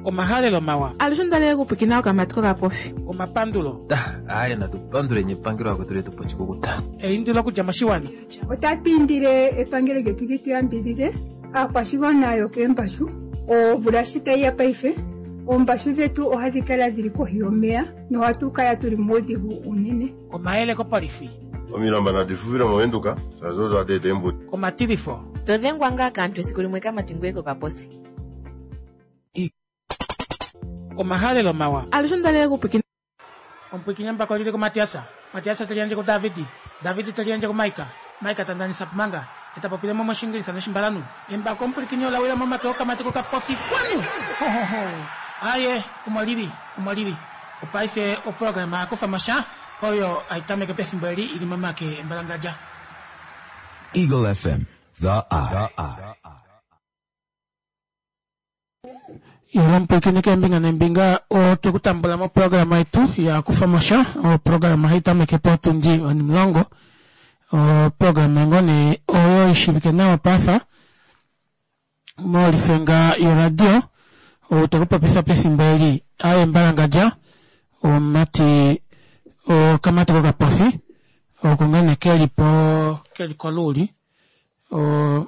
Omahalelo mawa. Alushe onda okupwikina okamati kokapofi. Omapandulo. Aye natu panduleni epangelo akwetu letu pochikukuta. Eindilo okudja moshiwana. Otatu indile epangelo lyetu li tu yambidhidhe aakwashigwana yokeembashu. Omvula shi tayi ya paife, oombashu dhetu ohadhi kala dhili kohi yomeya nohatu kala tuli muudhigu uunene. Omayele kopolifi. Omilamba nadi fufile mOvenduka, shaashi odo hadi eta eembuto. Omatilifo. To dhengwa ngaa kaantu esiku limwe kamati ngoye kokaposi. Omahalelo mawa. Alushe onda okupwikina. Omupwikinye mbako lili kuMatiasa. Matiasa te liyandje kuDavidi. Davidi te liyandje kuMaika. Maika ta ndanisa Pumanga. E ta popile mo mOshingilisa nOshimbalanhu. Embako omupwilikini ola wila momake okamati kokapofi. Kwanu! Ho, ho, ho! Aye, omo lili, omo lili. Opaife oprograma ya kufa mo sha, oyo hai tameke pefimbo eli i li momake embalangadja. Eagle FM, the eye. Yolo omupwilikini keembinga neembinga otwe ku tambula moprograma yetu ya kufa mo sha. Oprograma hai tameke potundi onimulongo. Oprograma ngoo nee oyo ishivike nawa pafa molifenga yoradio. Ou te ku popifa pefimbo eli aye mbalangadja omumati okamati kokapofi oko ngoo nee keli po keli koluuli. O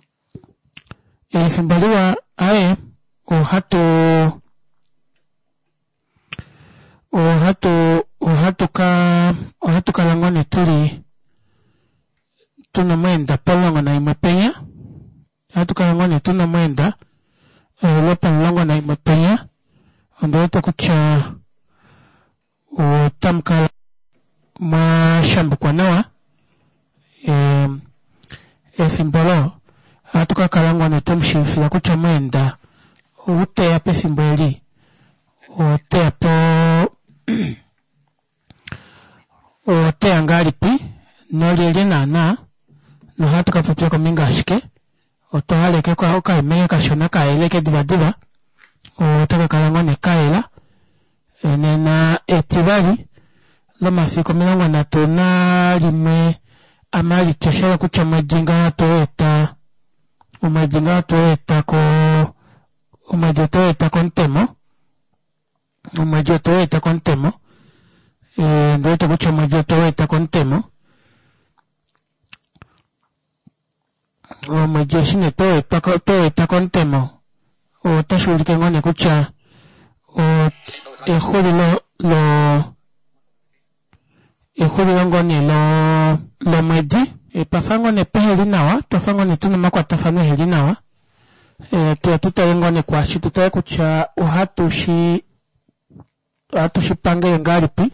efimbo liwa aye ohatu ohatu ohatu ka ohatu kala ngoo nee tuli tuna omweenda pomulongo naimwe penya ohatu kala ngoo nee tuna omweenda lwopomulongo naimwe penya ondi wete kutya otamu kala mwa shambukwa nawa efimbo olo ohatu ka kala ngoo nee twemu shiivifila kutya omweenda ou teya pefimbo eli oteya po oteya ngahelipi nolyelye naana nohatu ka popya kombinga yashike. Otwa hala ashike okaimele kashona kayeleke divadiva otaka kala ngoo nee kayela nena etivali lomafiku 31 aMalitsa shahala kutya omwedi ngaho otweeta omwedi ngaho otweeta ko omwedi otweeta komutemo omwedi otweeta komutemo ondiwete kutya omwedi otweeta komutemo Omwedi eshi nee tweeta komutemo otashi ulike ngoo nee kutya exulilo lo exulilo ngoo nee lo lomwedi twafa ngoo nee peheli nawa twafa ngoo nee tuna omakwatafano eheli nawa tuye tutale ngoo nee kwaashi tutale kutya ohatu shi Ohatu shi pangele ngahelipi?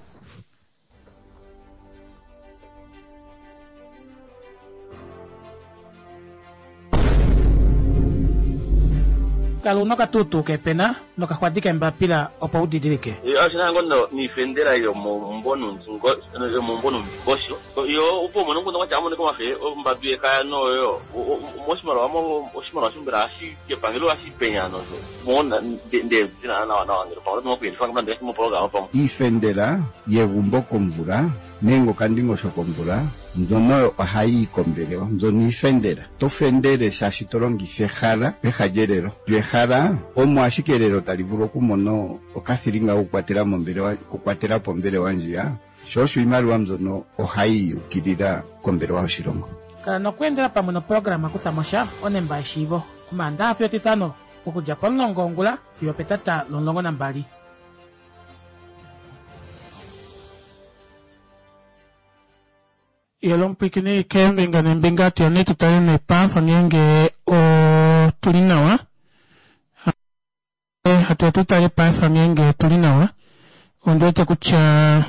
Kala una okatuutuu keepena nokaxwadi keembapila opo u didilike. Oshi na ngo niifendela yomomumvo nuundingosho. Yo opo umone omukundu gwatya amonike omafe ombambi yekaya noyo moshimaliwa mo oshimaliwa shombela ohashi kepangelo ohashi penya nosho mo nde dina nawa nawa ngele pamwe oto okuyelifa nande ngaashi moprograma pamwe. Iifendela yegumbo komvula nenge okandingosho komvula mbyono oyo ohayi yi kombelewa. Mbyono iifendela. To fendele shaashi to longitha ehala peha lyelelo. Lyo ehala omo ashike elelo tali vulu okumona okathilinga kokukwatela mombelewa okukwatela po ombelewa ndjiya. Sho osho iimaliwa mbyono ohayi yi ukilila kombelewa yoshilongo. Kala nokweendela pamwe noprograma Kutha mo sha, onemba yeshiivo, Omaandaxa fiyo Etitano, okudja pomulongo wongula fiyo opetata lomulongo nambali. Yela omupwiikini keembinga neembinga tuyeni tu tale neepafa ngeenge otuli nawa. Hatu ya tu tale paife ngeenge otu li nawa. Ondi wete kutya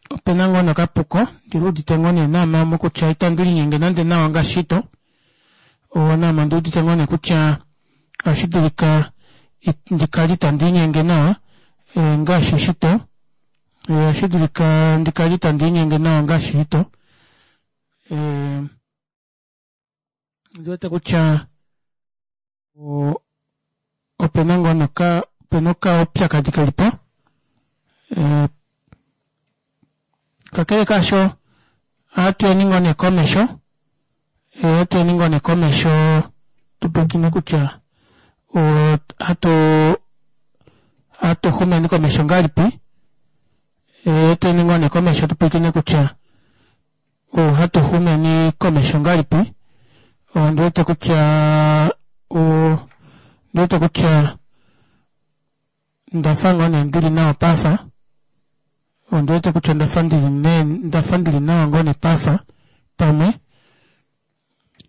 ope na ngoo nokapuko ndi udite ngoo nee naame omo kutya itandi linyenge nande nawa ngaashi shito. Naame ondi udite ngoo nee kutya ohashi dulika ndi kale itandi linyenge nawa ngaashi shito. Ohashi dulika ndi kale itandi linyenge nawa ngaashi shito. Ondi wete kutya ope na ngoo noka ope na okaupyakadi keli po kakele kaasho ohatu yeni ngoo nee komesho ohatu yeni ngoo nee komesho tu pwilikine kutya. Ohatu hatu xumeni komesho ngahelipi? Eteni ngoo nee komesho tupwilikine kutya ohatu xumeni komesho ngahelipi. Ondi wete kutya ondi wete kutya ndafa ngoo nee ndili nawa paife. Ondi wete kutya ndafa ndili nee ndafa ndili nawa ngoo nee paife pamwe.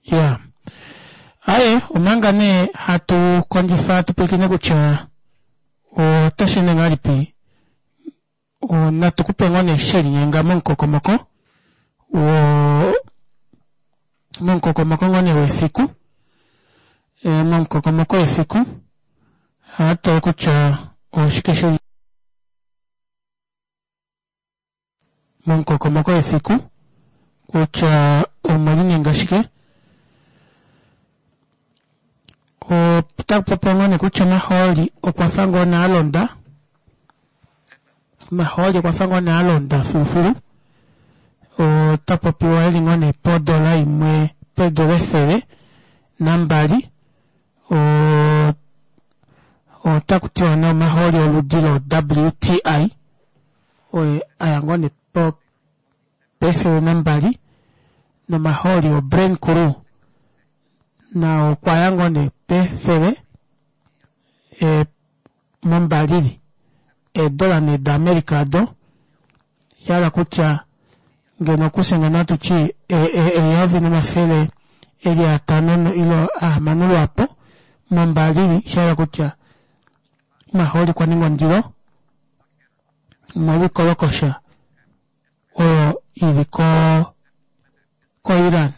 Iyaa aaye omanga nee hatu kondjifa tupwilikine kutya otasheende ngahelipi natu kupe ngoo nee shelinyenga momukokomoko woo momukokomoko ngoo nee wefiku momukokomoko wefiku ohatutale kutya oshike sheli momukokomoko wefiku kutya omwelinyenga shike. Otaku popiwa ngoo nee kutya omahooli okwa fa ngoo nee alonda, omahooli okwa fa ngoo nee alonda filufilu. Ota popiwa eli ngoo nee podola imwe peedola 102. Ota kutiwa nee omahooli oludi lo WTI oye aya ngoo nee pe 102 nomahooli o Brent Crude nao okwa ya ngoo nee pefele mombalili eedola nee da America odo shahala kutya ngeno okufye ngeno atuti eyovi nomafele eli atano ile ahamano lwaapo mombalili shahala kutya omahooli okwa ninga ondilo omolwoikolokosha oyo ili ko ko Iran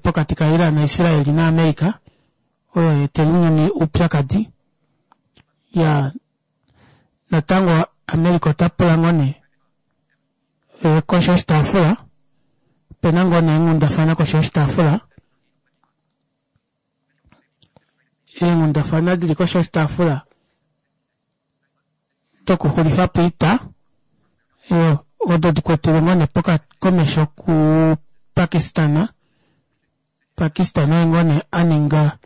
pokati ka Iran na Israel na America oyo yaetela ounyuni oupyakadi ya natango America ota pula ngoo nee koshi yoshitaafula opena ngoo nee eenghundafana koshi yoshitaafula eenghundafana dili koshi yoshitaafula dokuxulifapo oita odo dikwetele ngoo nee komesho ku Pakistan. Pakistan oye ngoo nee aninga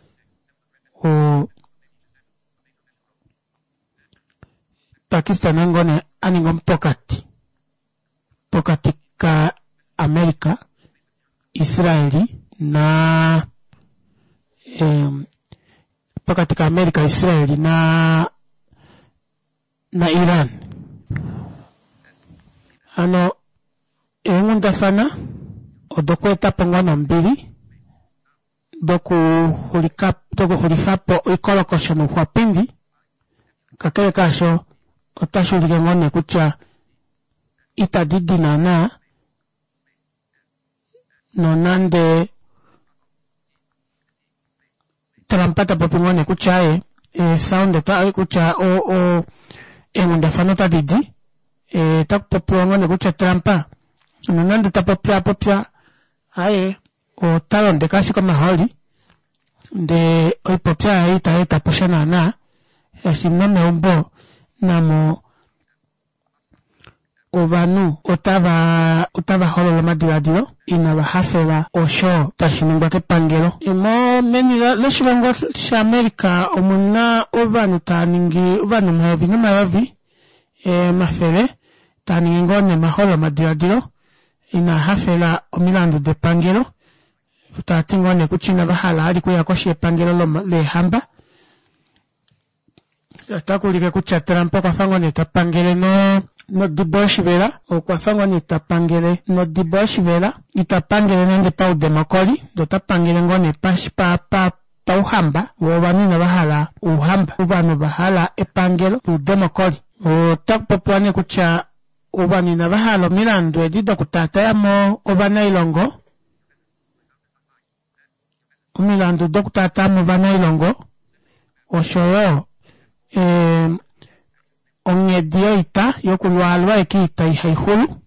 Pakistan oye ngoo nee aninga omupokati pokati ka America, Israeli na pokati ka America, Israeli na na Iran. Hano eenghundafana odokweetapo ngoo nombili dokuxulifapo oikolokosho nouxwapindi kakele kaasho otashi ulike ngoo nee kutya itadi di naana nonande Trump ta popi ngoo nee kutya aye sound kutya eenghundafana otadi di otakupopiwa ngoo nee kutya Trump nonande tapopya popya aye ota londeke ashike omahooli ndee oipopya yaye itayeetapo sha naana shaashi nomeumbo namo ovanhu otava otava holola omadilaadilo inava hafela osho tashi ningwa kepangelo. Mo meni loshilongo shaAmerica omuna ovanhu tava ningi ovanhu omayovi nomayovi omafele taa ningi ngoo nee omahololo omadilaadilo inaa hafela omilandu depangelo taati ngoo nee kutya inava hala vali okuya koshi yepangelo leehamba. Otakuulike kutya Trump okwafa ngoo nee tapangele nodibo yoshivela okwafa ngoo nee tapangele nodibo yoshivela ita pangele nande paudemokoli ndee ota pangele ngoo nee pauhamba voo ovanhu inava hala ouhamba ovanhu ovahala epangelo loudemokoli. Otakupopiwa nee kutya ovanhu inava hala omilandu edi dokutaatayamo ovanailongo omilandu dokutaatayamo ovanailongo oshoyo onghedi yoita yokulwaalwa ashike oita ihaixulu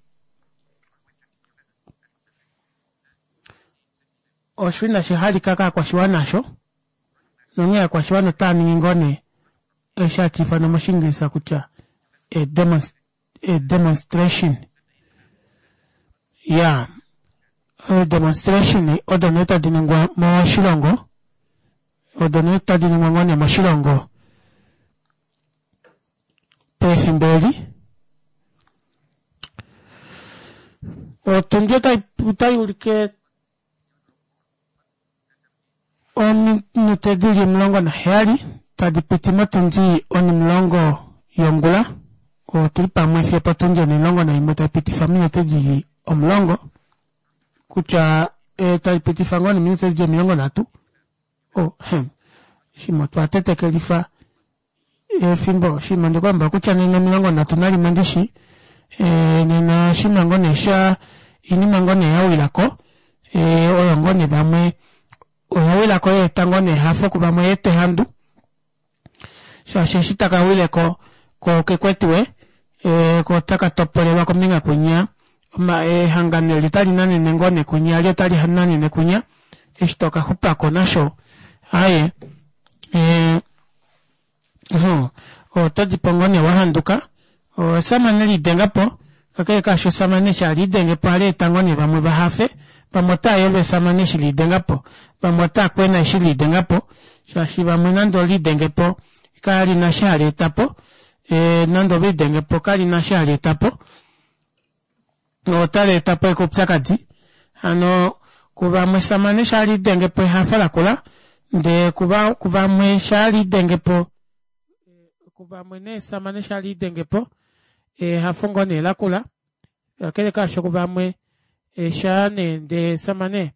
osho inashi halika kaakwashiwana osho nonghee aakwashiwana otava ningi ngoo nee eshi hashi ifanwa moshiingilisa kutya demonstration ya demonstration odo nee tadi ningwa moshilongo. Odo nee tadi ningwa ngoo nee moshilongo pefimbo eli. Otundi otai ulike ominute dili 17 tadi piti motundi onimulongo yongula. Otuli pamwe fiyo potundi onimulongo naimwe tai pitifa ominute dili 10 kutya tai pitifa ngoo neminute dili 30. Oh, hem. Shimwe otwa tetekelifa efimbo shimwe ndikuamba kutya nena 31 ndishi nena shima ngoo nee sha inima ngoo nee yawilako oyo ngoo nee vamwe oya wilako yeeta ngoo nee ehafo kuvamwe yeeta ehandu shaashi eshi taka wileko ko kekwetiwe ko otaka topolelwa kombinga kwinya ehangano eli otali nanene ngoo nee kwinya li otali nanene kwinya eshi toka xupako nasho aaye oto dipo ngoo nee wahanduka esamane liidengapo kakele kaasho esamane eshi haliidengepo ohali eta ngoo nee vamwe vahafe vamwe otaa yolwa esamane eshi liidengapo vamwe otaa kwena eshi liidengapo shaashi vamwe nande oliidengepo kalina eshi hali etapo nande oliidengepo kalina eshi hali etapo otali etapo ashike oupyakadi hano kuvamwe esamane eshi haliidengepo ehafo lakula ndee kuvamwe eshi haliidengepo kuvamwe nee esamane eshi haliidengepo ehafo ngoo nee lakula kakele kaasho kuvamwe shaa nee ndee esamane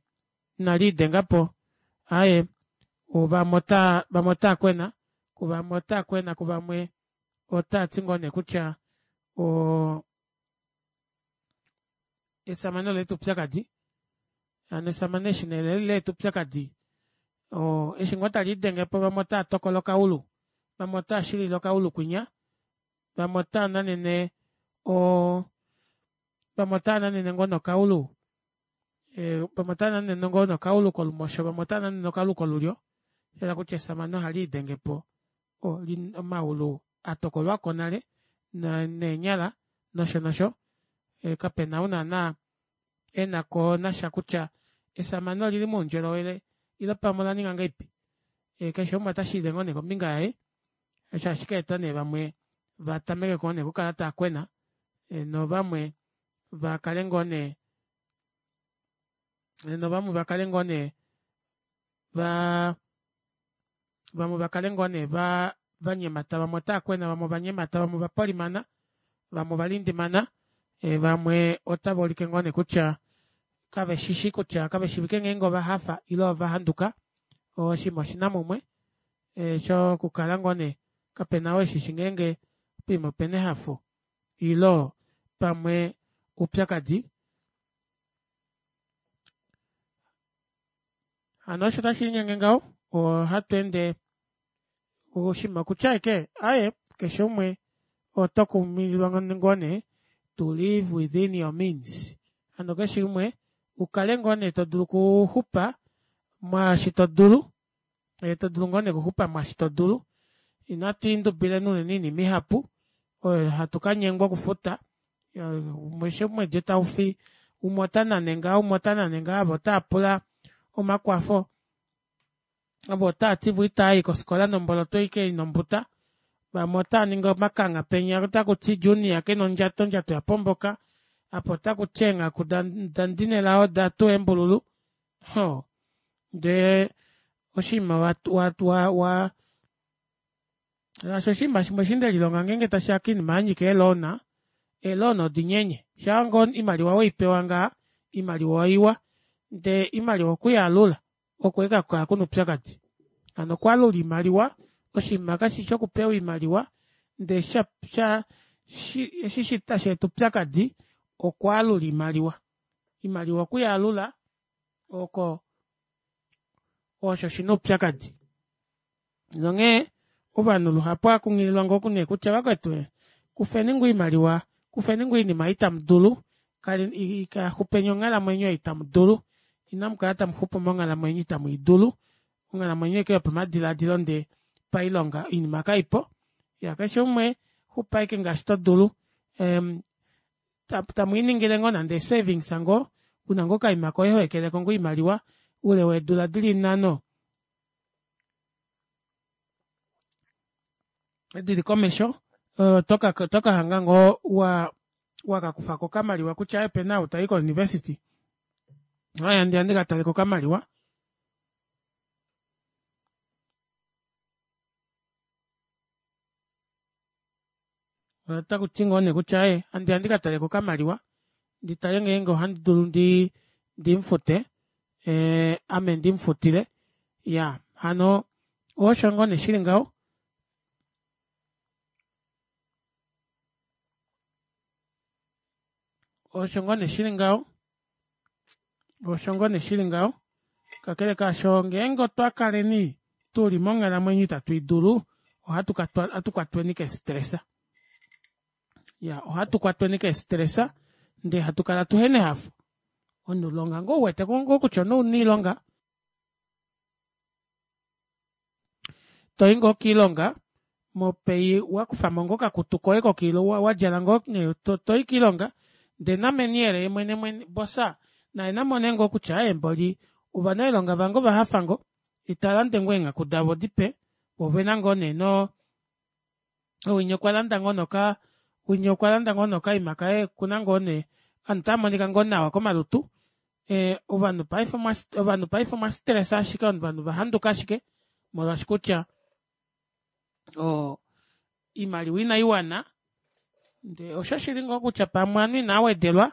inaliidengapo aaye vamwe otaa kwena kuvamwe otaa kwena kuvamwe otaati ngoo nee kutya esamane oleeta oupyakadi hano esamane eshi nee leeta oupyakadi eshi ngoo taliidengepo vamwe otaa tokola okaulu vamwe otaa shilile okaulu kwinya vamwe otaa nanene vamwe otaa nanene ngoo nokaulu vamwe otaa nanene ngoo nokaulu kolumosho vamwe otaa nanene okaulu kolulyo shayela kutya esamane ohaliidengepo omaulu atokolwako nale neenyala nosho nosho kapena ou naana enako nasha kutya esamane olili moundjolowele ile pamwe olaninga ngahelipi keshe umwe otashilile ngoo nee kombinga yaye osho hashi kaeta nee vamwe vatameke ngoo nee okukala taakwena novamwe vakale ngoo nee novamwe vakale ngoo nee va vamwe vakale ngoo nee vanyemata vamwe otaakwena vamwe ovanyemata vamwe ovapolimana vamwe ovalindimana vamwe otava ulike ngoo nee kutya kaveshishi kutya kaveshivike ngeenge ovahafa ile ovahanduka oshinima oshina mumwe shokukala ngoo nee kapena oo eshishi ngeenge poima opena ehafo ile pamwe oupyakadi. Hano osho tashi linyenge ngaho ohatu ende oshinima okutya ashike aaye keshe umwe oto kumililwa ngoo nee to live within your means hano keshe umwe ukale ngoo nee todulu okuxupa mwaashi todulu todulu ngoo nee okuxupa mwaashi todulu inatu indubileni unene oinima ihapu oyo hatu kanyengwa okufuta eshi omwedi taufi umwe otanane ngaa umwe otanane ngaa avo otaapula omakwafo avo otaati vo itaayi kofikola nomboloto ashike ina ombuta vamwe otaaningi omakangha penya otakuti junior kena ondjato ondjato yapomboka apo otakuti eenghaku dandinelao odatuwa eembululu ho ndee oshinima wa shaashi oshinima shimwe eshi ndelilonga ngeenge tashiya koinima yanyika eeloona eeloona odinyenye shaa ngoo oimaliwa weipewa ngaa oimaliwa oiwa ndee oimaliwa okuyalula oko ashike hakukala kuna oupyakadi hano okwaalula oimaliwa oshinima kashishi okupewa oimaliwa ndee eshi tashi eta oupyakadi okwaalula oimaliwa oimaliwa okuyalula oko osho shina oupyakadi nonghee ovanhu luhapu ohakunghililwa ngoo nee kutya vakwetu kufeni ngoo oimaliwa kufeni ngoo oinima ei tamudulu xupeni onghalamwenyo ei tamudulu inamukala tamuxupu monghalamwenyo itamuidulu onghalamwenyo ashike yopamadilaadilo ndee pailonga oinima kaipo ya keshe umwe xupa ashike ngaashi todulu tamwiiningile ngoo nande savings ngoo una ngoo okaima koye hoekeleko ngoo oimaliwa oule weedula dili 5. Dili komesho oto ka hanga ngoo wa wakakufako okamaliwa kutya opena ou tayi ko university aaye andiya ndikataleko okamaliwa. Otakuti ngoo nee kutya aaye andiya ndikataleko okamaliwa nditale ngeenge ohandi dulu ndi ndimufute ame ndimufutile iyaa hano osho ngoo nee shili ngaho. Osho ngoo nee shili ngaho osho ngoo nee shili ngaho kakele kaasho ngeenge otwa kaleni tuli monghalamwenyo ita twiidulu ohatu kwatweni kee stress iyaa ohatu kwatweni kee stress ndee hatu kala tuhena ehafo omunhu longa ngoo uwete ngoo kutya omunhu ouna oilonga Toyi ngoo kiilonga mopay wakufamo ngoo okakutu koye kokilonga wadjala ngoo nee toyi kiilonga ndee nameniyele yemwene mwene bossa naye namone ngoo kutya aaye mboli ovanailonga vange ovahafa ngoo italande ngoo eenghaku davo dipe voo ovena ngoo nee noo winya okwalanda ngoo noka winya okwalanda ngoo nokaima kaye okuna ngoo nee ovanhu otavamonika ngoo nawa komalutu ovanhu paife ovanhu paife omwa stressa ashike ovanhu ovahanduka ashike molwaashi kutya oo oimaliwa inaiwana ndee osho shili ngoo kutya pamwe ovanhu inaawedelwa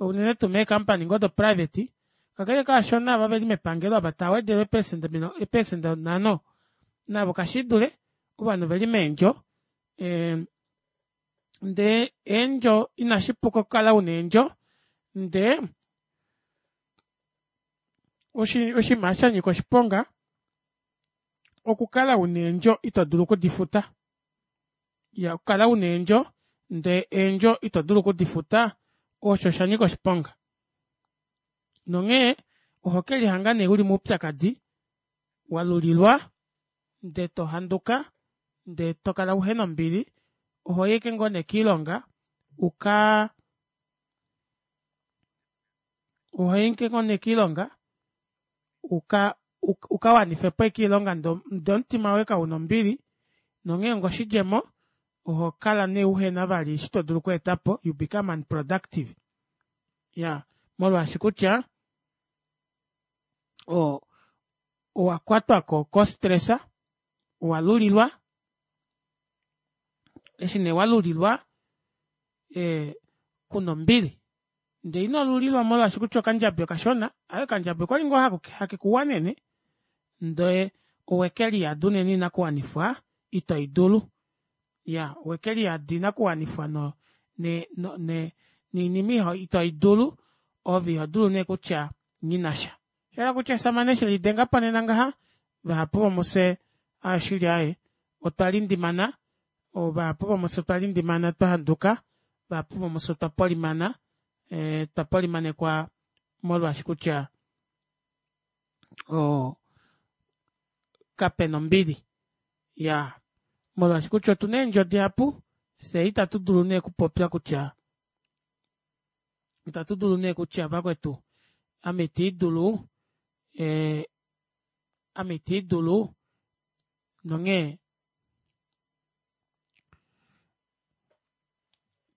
unene tuu mee company ngoo do private kakele kaasho naava veli mepangelo ava taawedelwa eepecent 50 navo kashiidule ovanhu oveli meendjo Ndee eendjo inashi puka okukala una eendjo ndee oshinima shanyika oshiponga okukala una eendjo ito dulu okudifuta. Iyaa okukala una eendjo ndee eendjo ito dulu okudifuta osho oshanyika oshiponga. Nonghee ohokelihanga nee uli moupyakadi walulilwa ndee tohanduka ndee tokala uhena ombili ohoyi ashike ngoo nee kiilonga ukaa ohoyi ashike ngoo nee kiilonga uka ukawanifepo ashike oilonga ndee omutima woye kauna ombili nonghee onga oshidjemo ohokala nee uhena vali eshi todulu okweetapo you become unproductive iyaa molwaashi kutya oo owakwatwa ko stress owalulilwa eshi nee walulilwa kuna ombili ndee ino lulilwa molwaashi kutya okandjabi okashona aaye okandjabi okwali ngoo hakekuwanene ndee owekeliyada unene oinakuwanifwa ito idulu iyaa owekeliyada oinakuwanifwa no ne ne noinima ito idulu ove ihodulu nee kutya nghinasha Oshahala kutya oshamane shelidengapo nena ngaha vahapu vomufye oshili aaye otwa lindimana vahapu vomufye otwa lindimana twa handuka vahapu vomufye otwa polimana twa polimanekwa molwaashi kutya oo kapena ombili iyaa molwaashi kutya otuna eendjo dihapu fyee ita tudulu nee okupopya kutya Itatu dulu nee kutya vakwetu ame iti dulu ame iti dulu nonghee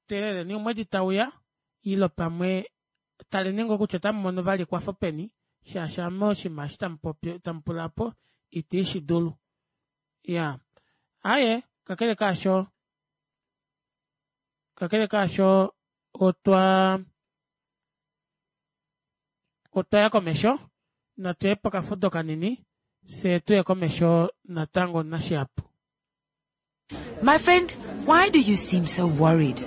teeleleni omwedi tauya ile pamwe taleni ngoo kutya otamu mono vali ekwafo peni shaashi ame oshinima eshi tamupopi tamupula opo iti shi dulu iyaa aaye kakele kaasho kakele kaasho otwa otwaya komesho natuye pokafudo kanini fyee tuye komesho natango nashihapu. My friend, why do you seem so worried?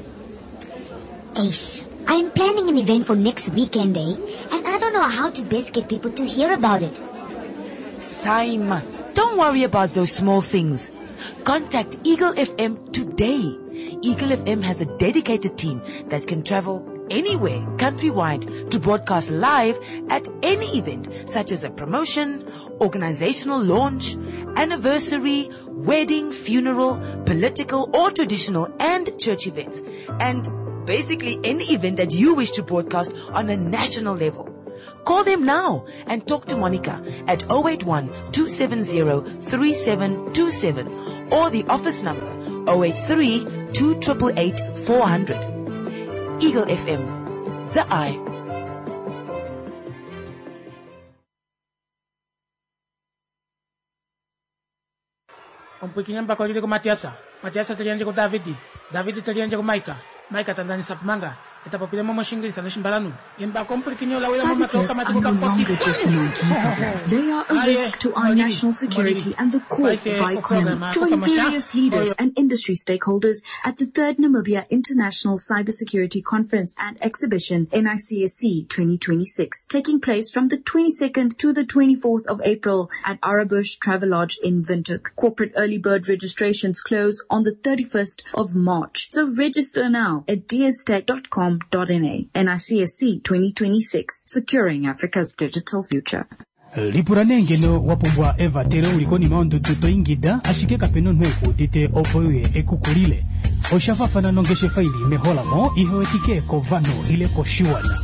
Ace, I'm planning an event for next weekend, eh? And I don't know how to best get people to hear about it. Saima, don't worry about those small things. Contact Eagle FM today. Eagle FM has a dedicated team that can travel anywhere countrywide to broadcast live at any event such as a promotion, organizational launch, anniversary, wedding, funeral, political or traditional and church events. And basically any event that you wish to broadcast on a national level. Call them now and talk to Monica at 081 270 3727 or the office number 083 2888 400. Eagle FM, the eye. Omupwiikini embako lili kuMatiasa, Matiasa te liyandje kuDavidi, Davidi te liyandje kuMaika, Maika ta ndanisa Pumanga, e ta popile mo mOshingilisa nOshimbalanhu. Embako omupwilikini ola wila Cyber momake threats okamati are no kokapofi. longer just an IT problem. They are a risk to our national security and the core of our economy. Join various leaders and industry stakeholders at the third Namibia International Cybersecurity Conference and Exhibition, NICSC 2026, taking place from the 22nd to the 24th of April at Arabush Travelodge in Windhoek. Corporate early bird registrations close on the 31st of March. So register now at dstech.com.na. NICSC 2026, securing Africa's digital future. Lipula nee ngeno wa pumbwa evatelo uli konima yondudu to ingida ashike kape na omunhu ekuudite opo uye ekukulile. Osha fafana nongeshefa ili meholamo ihe wetike kovanhu ile koshiwana.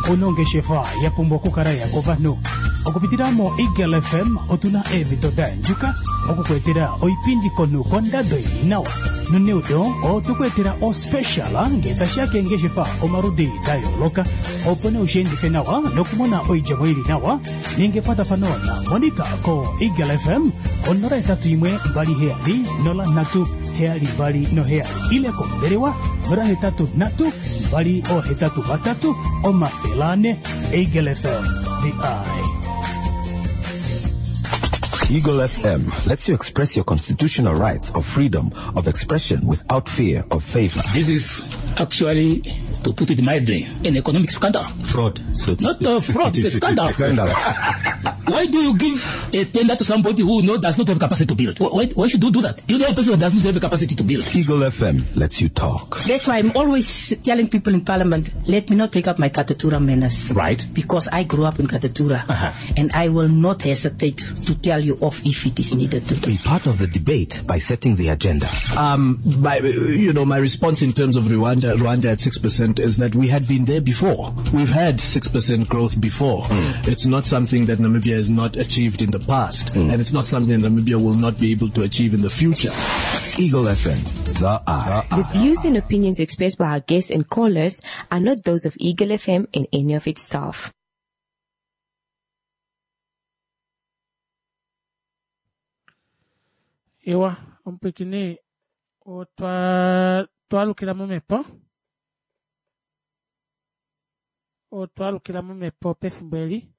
Ouna ongeshefa ya pumbwa okukala ya kovanhu. Okupitila mo Eagle FM otuna eemhito da yandjuka oku ku etela oipindi konhu kondado ili nawa. Noneudo otwe ku etela ospecial ngee tashiya keengeshefa omaludi da yooloka opo nee ushiendife nawa nokumona oidjemo ili nawa. Ninga ekwatafano na Monica ko Eagle FM ko 081 27 03 727 ile kombelewa 083 283 400. Eagle FM, the eye. Eagle FM lets you express your constitutional rights of freedom of expression without fear of favor. This is actually, to put it mildly, an economic scandal. Fraud. So Not a fraud, it's a scandal. Scandal. Why do you give a tender to somebody who does not have capacity to build? Why should you do that? You know a person who does not have the capacity to build. Eagle FM lets you talk. That's why I'm always telling people in Parliament, let me not take up my Katutura manners. Right. Because I grew up in Katutura. And I will not hesitate to tell you off if it is needed to. Be part of the debate by setting the agenda. My response in terms of Rwanda at 6% is that we had been there before. We've had 6% growth before. It's not something that Namibia has not achieved in the past, and it's not something that Namibia will not be able to achieve in the future. Eagle FM, the eye. The views and opinions expressed by our guests and callers are not those of Eagle FM and any of its staff. Ewa, omupwikini otwa twalukila momhepo. Otwa alukila momhepo pefimbo eli.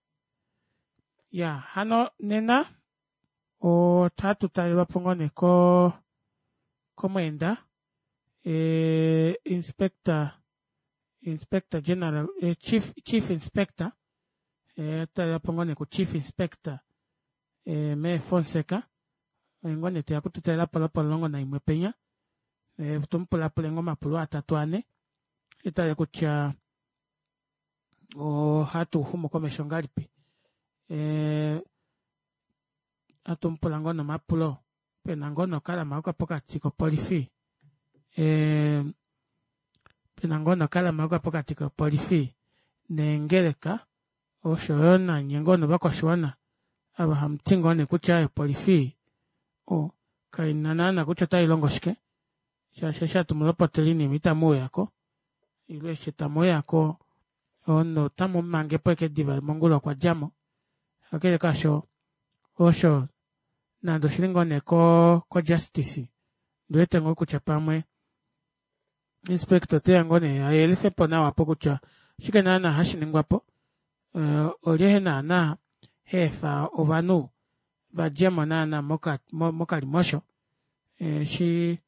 Ya, hano nena otatu talelwapo ngoo nee ko komweenda e, inspector inspector general e, chief, chief inspector e, talelwapo ngoo nee ku chief inspector e, mee Fonseca oye ngoo nee teya kututalelapo lopomulongo naimwe penya e, tumupulapule ngoo omapulo atatu ane etale kutya ohatu xumu komesho ngahelipi e, atumupula ngoo nomapulo pena ngoo nokalama pokati kopolifi e, pena ngoo nokalama pokati kopolifi neengeleka oshoyo nanye ngoo novakwashiwana ava hamuti ngoo nee kutya opolifi o kaina naana kutya otailongo shike shaashi eshi hatu mulopotele oinima itamuuyako ile eshi tamuuyako omunhu otamumangepo ashike diva mongula okwa djamo kakele kaasho osho nande oshili ngoo nee ko ko justice ndiwete ngoo kutya pamwe inspector oteya ngoo nee ayelifepo nawa apo kutya oshike naana hashi ningwapo uh, olye naana heefa ovanhu vadjemo naana mokalimosho eshi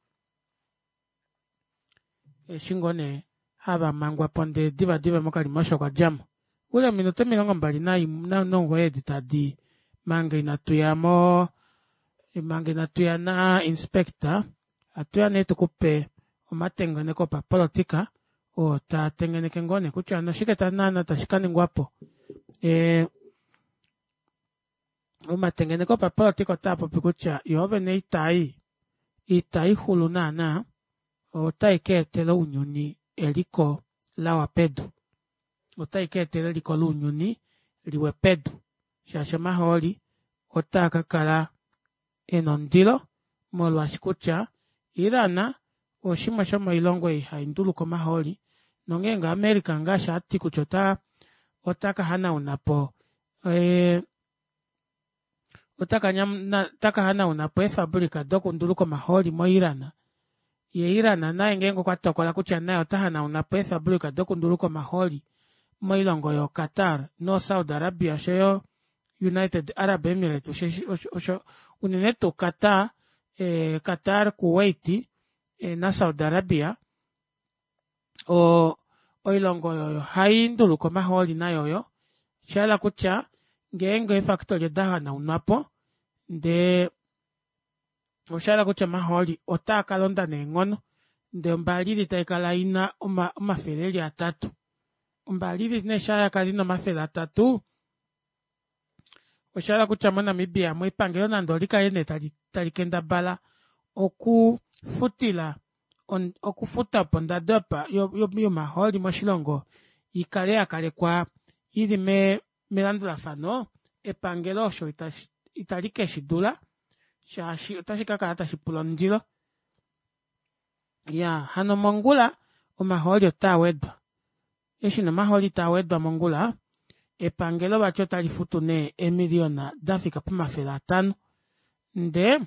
eshi ngoo nee hava mangwapo ndee diva diva mokalimosho okwa djamo ule ominute 29 edi tadi manga inatu ya mo manga inatu ya na inspector atuya nee tukupe omatengeneko opapolitika oo taa tengeneke ngoo nee kutya noshike naana tashi kaningwapo e, omatengeneko opapolitika otaa popi kutya yoovene itai itai xulu naana otai ka etela ounyuni eliko lawa pedu otai ka etela eliko lounyuni. liwe pedu shaashi omahooli otaa ka kala ena ondilo molwaashi kutya Iran oshimwe shomoilongo ei hai nduluka omahooli nongeenge America ngaashi ati kutya ota ota ka hanauna po eh, ota ka hanauna po eefabulika dokunduluka omahooli moIran ye Iran naye ngeenge okwa tokola kutya naye ota hanauna po eefabulika dokunduluka omahooli moilongo yoQatar noSaudi Arabia oshoyo United Arab Emirates osho, osho unene tuu Qatar, eh, Qatar, Kuwait eh, naSaudi Arabia o, oilongo oyo hai nduluka omahooli nayo oyo osha hala kutya ngeenge eefakitoli oda hanaunwa po ndee osha hala kutya omahooli otaa ka londa neenghono ndee ombaalili tai kala ina omafele eli atatu ombaalili nee shaa yakala ina omafele atatu osha hala kutya moNamibia mo epangelo nande olikale nee tali, tali kendabala okufutila on, okufuta opo ondado yomahooli moshilongo ikale ya kalekwa ili me, melandulafano epangelo osho itali ke shi dula shaashi otashi ka kala tashi pula ondilo ya hano mongula omahooli otaa wedwa Eshi nee omahooli taa wedwa mongula, epangelo vati otali futu nee eemiliyona da fika pomafele atano. Ndee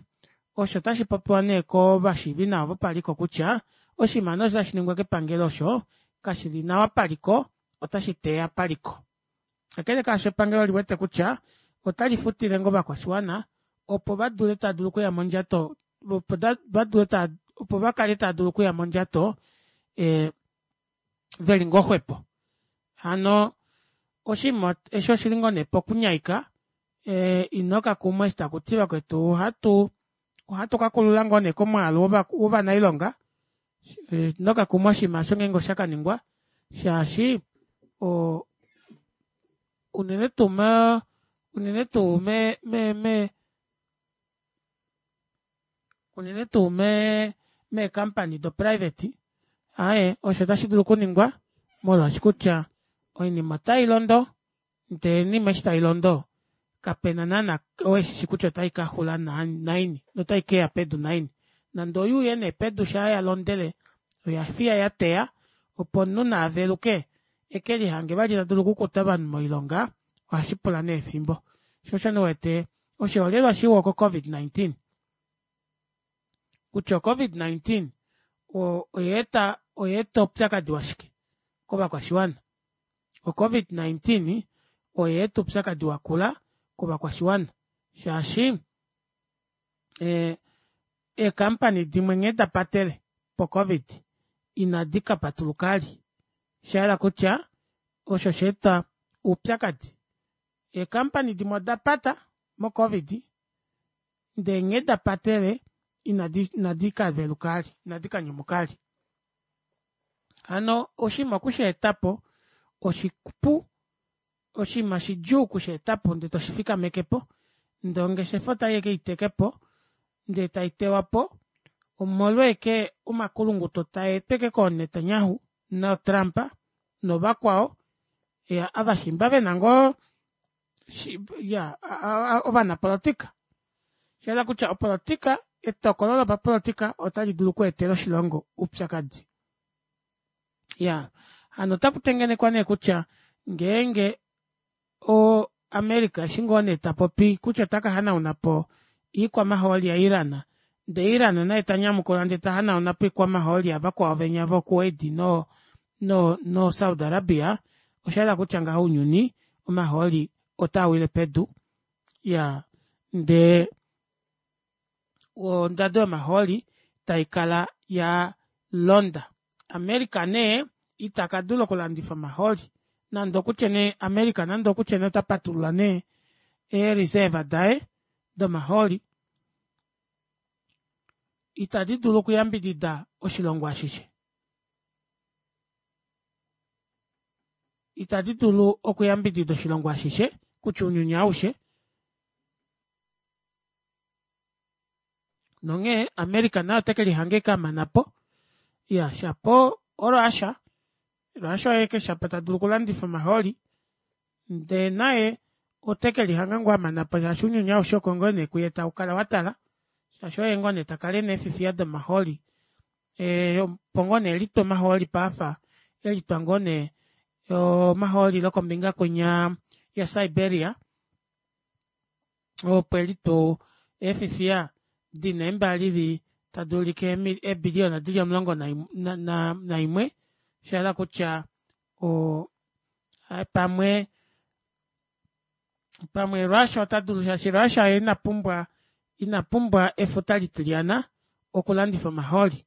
osho otashi popiwa nee kovashiivinawa vopaliko kutya oshinima nee osho tashi ningwa kepangelo osho kashi li nawa paliko, otashi teya paliko. Kakele kaasho epangelo oli wete kutya otali futile ngoo ovakwashiwana opo va dule taa dulu okuya mondjato opo va dule taa opo va kale taa dulu okuya mondjato e, veli ngoo xwepo. Hano oshinima eshi oshili ngoo nee pokunyaika e, ino ka kumwa eshi taku ti vakwetu ohatu ohatu ka kulula ngoo nee komwaalu wovanailonga e, ino ka kumwa oshinima osho ngeenge osha ka ningwa shaashi o unene tuu me unene tuu me me me unene tuu me meekampani doprivate aye osho otashi dulu okuningwa molwaashi kutya oinima otai londo ndee oinima eshi tai londo kapena naana oo eshishi kutya otai ka xula naini notai keya pedu naini nande oyuuye nee pedu shaa ya londele oya fiya ya teya opo omunhu naaveluke eke lihange vali ta dulu okukuta ovanhu moilonga ohashi pula nee efimbo sho osho ndiwete oshiholelwa shiwa oko COVID-19 kutya COVID-19 oya eta oupyakadi washike kovakwashiwana. O COVID-19 oya eta oupyakadi wakula kovakwashiwana shaashi eekampani dimwe nghee da patele po COVID inadi ka patuluka ali. Sha yela kutya osho sha eta oupyakadi Eekampani dimwe oda pata moCovid ndee nghee da patele inadi inadi ka veluka ali, inadi ka nyumuka ali. Hano oshinima oku shi eta po oshipu, oshinima shidjuu oku shi eta po ndee toshi fikameke po, ndee ongeshefa otai eke iteke po ndee tai tewa po omolwa eke omakulunguto taa etwa eke kooNetanyahu nooTrump novakwao ya avashimba vena ngoo ya ovanapolotika shayela kutya opolotika etokolo lopapolotika otali dulu okweetela oshilongo oupyakadi ya hano otaku tengenekwa nee kutya ngeenge o America eshi ngoo nee ta popi kutya ota ka hanauna po iikwamahooli yaIran ndee Iran naye ta nyamukula ndee ta hanauna po iikwamahooli yavakwao venya voKuwait no no no Saudi Arabia osha yela kutya ngaho ounyuni omahooli otaa wile pedu ya ndee ondado yomahooli tai kala ya londa. America nee ita ka dula okulandifa omahooli nande okutye nee America nande okutye nee ota patulula nee ee-reserve daye domahooli itadi dulu okuyambidida oshilongo ashishe. Itadi dulu okuyambidida oshilongo ashishe kutya ounyuni aushe. Nonghee America naye ote ke lihanga eke a mana po. Ya shapo oRussia. Russia oye ke shapo ta dulu okulandifa omahooli. Ndee naye ote ke lihanga ngoo a mana po shaashi ounyuni aushe oko ngoo nee kuye tau kala wa tala shaashi oye ngoo nee ta kala ena eefifiya domahooli e, opo ngoo nee elitwa omahooli paafa elitwa ngoo nee omahooli lokombinga kwinya yaSiberia opo elitwa eefifiya dina eembalili tadi ulike eebiliyona dili 11 shahala kutya o pamwe pamwe Russia ota dulu shaashi Russia ye ina pumbwa ina pumbwa efuta litilyana okulandifa omahooli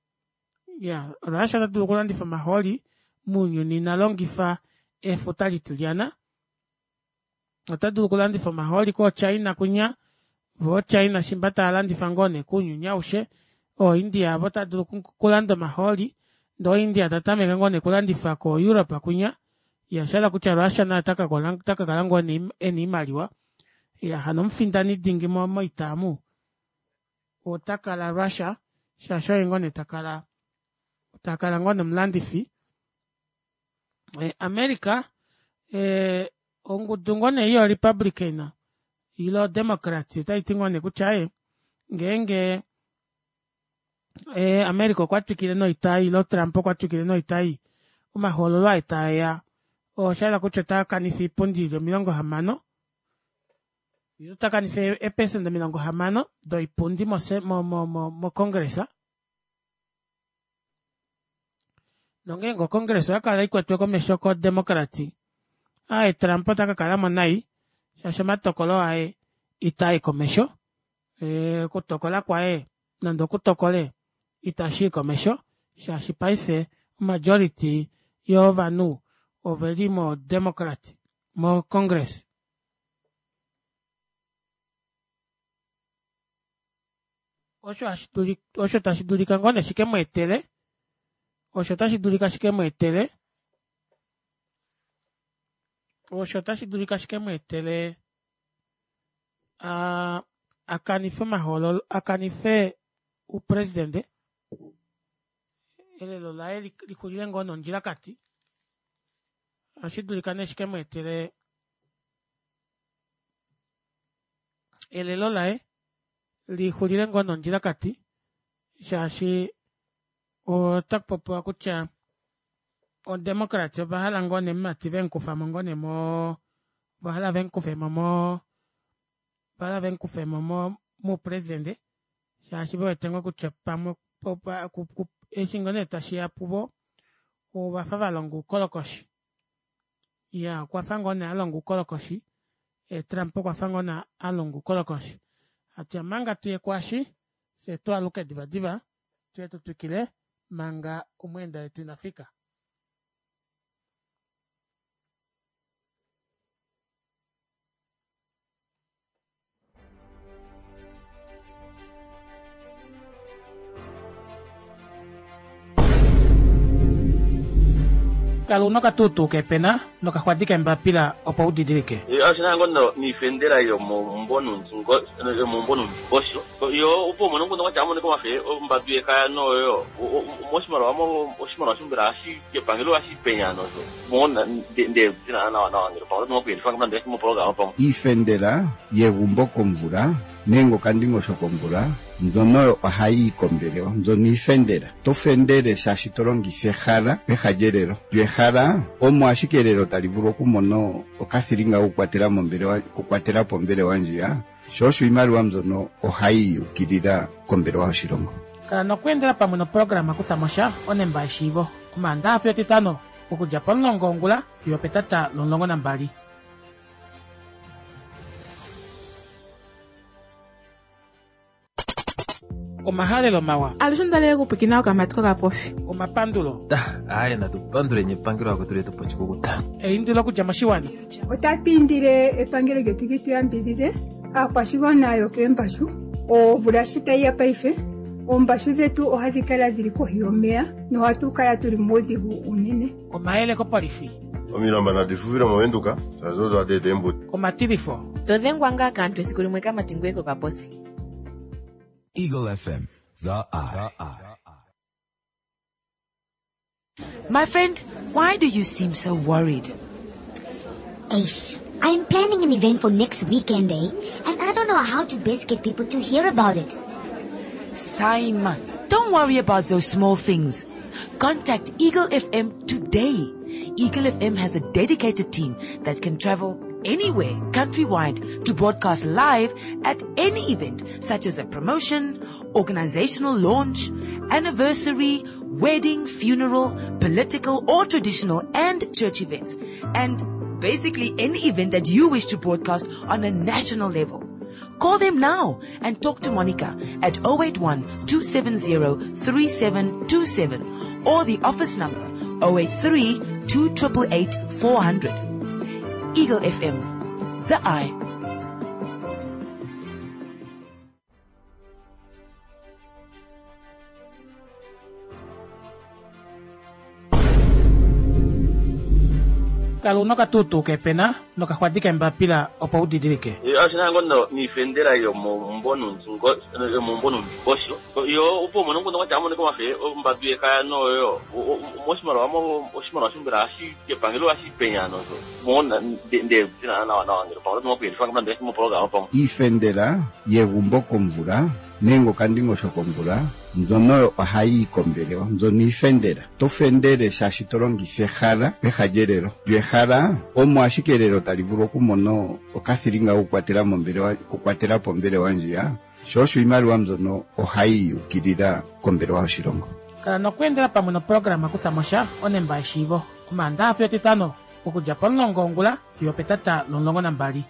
ya Russia ota dulu okulandifa omahooli mounyuni ina longifa efuta litilyana ota dulu okulandifa omahooli kooChina kwinya voo China shimba tava landifa ngoo nee kounyuni aushe ooIndia avo ota dulu okulanda omahooli ndee oIndia ta tameke ngoo nee okulandifa koEurope kwinya ya shahala kutya Russia naye ota ka kala ngoo nee ena oimaliwa ya hano omufindani dingi moita omu ota kala Russia shaashi oye ngoo nee takala takala ngoo nee omulandifi eh, America eh, ongudu ngoo nee yo Republican ilo Democrats otai ti ngoo nee kutya ye ngeenge eh, America okwa twikile noita ilo Trump okwa twikile noita ei omahoololo aye taeya osha yela kutya ota kanifa oipundi ili 60 ilo ota kanifa eepesenda 60 doipundi moCongress nongeenge oCongress oya kala ikwetwe komesho koDemocrats aye Trump ota ka kala mo nai shaashi omatokolo aye itaa komesho okutokola kwaye nande okutokole itashi i komesho shaashi paife omajority yovanhu oveli mo Democrat mo Congress. Osho hashi dulika osho tashi dulika ngoo nee shike mu etele osho tashi dulika shike mu etele osho tashi dulika shike mu etele a a kanife omahoololo a kanife oupresidente elelo laye lixulile ngoo nondjilakati ohashi dulika nee shike mu etele elelo laye lixulile ngoo nondjilakati shaashi ota kupopiwa kutya odemocrats ova hala ngoo nee mumati vemukufamo ngoo nee mo ova hala vemukufemo mo ova hala vemukufemo mo moupresidente shaashi ve wete ngoo kutya pamwe eshi ngoo nee tashi ya puvo ovafa va longa oukolokoshi ya okwa fa ngoo nee a longa oukolokoshi e, Trump okwa fa ngoo nee a longa oukolokoshi atya manga tuye kwashi fye twaluke divadiva tuye tu twikile manga omweenda wetu ina fika. Kala una okatuutuu kepena nokaxwadi kembapila opo u didilike. Oshina ngo niifendela yomomumbo nuundingosho yo opo umone nguno kwatya amonike omafe ombadu yekaya noyo moshimaliwa oshimaliwa shombela hashi kepangelo hashi penya nosho Iifendela yegumbo komvula nenge okandingosho komvula mbyono oyo ohayi yi kombelewa. Mbyono iifendela. To fendele shaashi to longitha ehala peha lyelelo. Lyo ehala omo ashike elelo tali vulu okumona okathilinga kokukwatela mombelewa, okukwatela po ombelewa ndjiya. Sho osho iimaliwa mbyono ohayi yi ukilila kombelewa yoshilongo. Kala nokweendela pamwe noprograma Kutha mo sha onemba yeshiivo Omaandaha fiyo Etitano okudja pomulongo wongula fiyo opetata lomulongo nambali. Omahalelo mawa. Alushe onda li okupwikina okamati kokapofi. Omapandulo. Aaye natu panduleni epangelo akwetu letu po oshikukuta. Eindilo okudja moshiwana. Otatu indile epangelo lyetu li tu yambidhidhe aakwashigwana yokeembashu omvula shi tayi ya paife oombashu dhetu ohadhi kala dhili kohi yomeya nohatu kala tuli muudhigu uunene. Omayele kopolifi. Omilamba nadi fufile mOvenduka shaashi odo hadi eta eembudi. Omatilifo. To dhengwa ngaa kaantu esiku limwe kamati ngoye kokaposi. Eagle FM, the eye. My friend, why do you seem so worried? Ace. I'm planning an event for next weekend, eh? And I don't know how to best get people to hear about it. Simon, don't worry about those small things. Contact Eagle FM today. Eagle FM has a dedicated team that can travel anywhere countrywide to broadcast live at any event such as a promotion, organizational launch, anniversary, wedding, funeral, political or traditional and church events. And basically any event that you wish to broadcast on a national level. Call them now and talk to Monica at 081 270 3727 or the office number 083 288 400. Eagle FM, the eye. Kala una okatuutuu keepena nokaxwadi keembapila opo u didilike. Oshina ngo no niifendela yomomumbo nuundingosho yo opo umone nguno kwatya amonike omafe ombadu yekaya noyo moshimaliwa mo oshimaliwa shombela ohashi epangelo ohashi penya nosho mo nde nawa nawa ngele pamwe oto kuyelifa nande mopologama pamwe Iifendela yegumbo komvula nenge okandingosho komvula mbyono oyo ohayi yi kombelewa mbyono iifendela. To fendele shaashi to longitha ehala peha lyelelo. Lyo ehala omo ashike elelo tali vulu okumona okathilinga kokukwatela mombelewa okukwatela po ombelewa ndjiya, sho osho iimaliwa mbyono ohayi yukilila kombelewa yoshilongo. Kala nokweendela pamwe noprograma Kutha mo sha onemba yeshiivo Omaandaxa fiyo Etitano okudja pomulongo wongula fiyo opetata lomulongo nambali.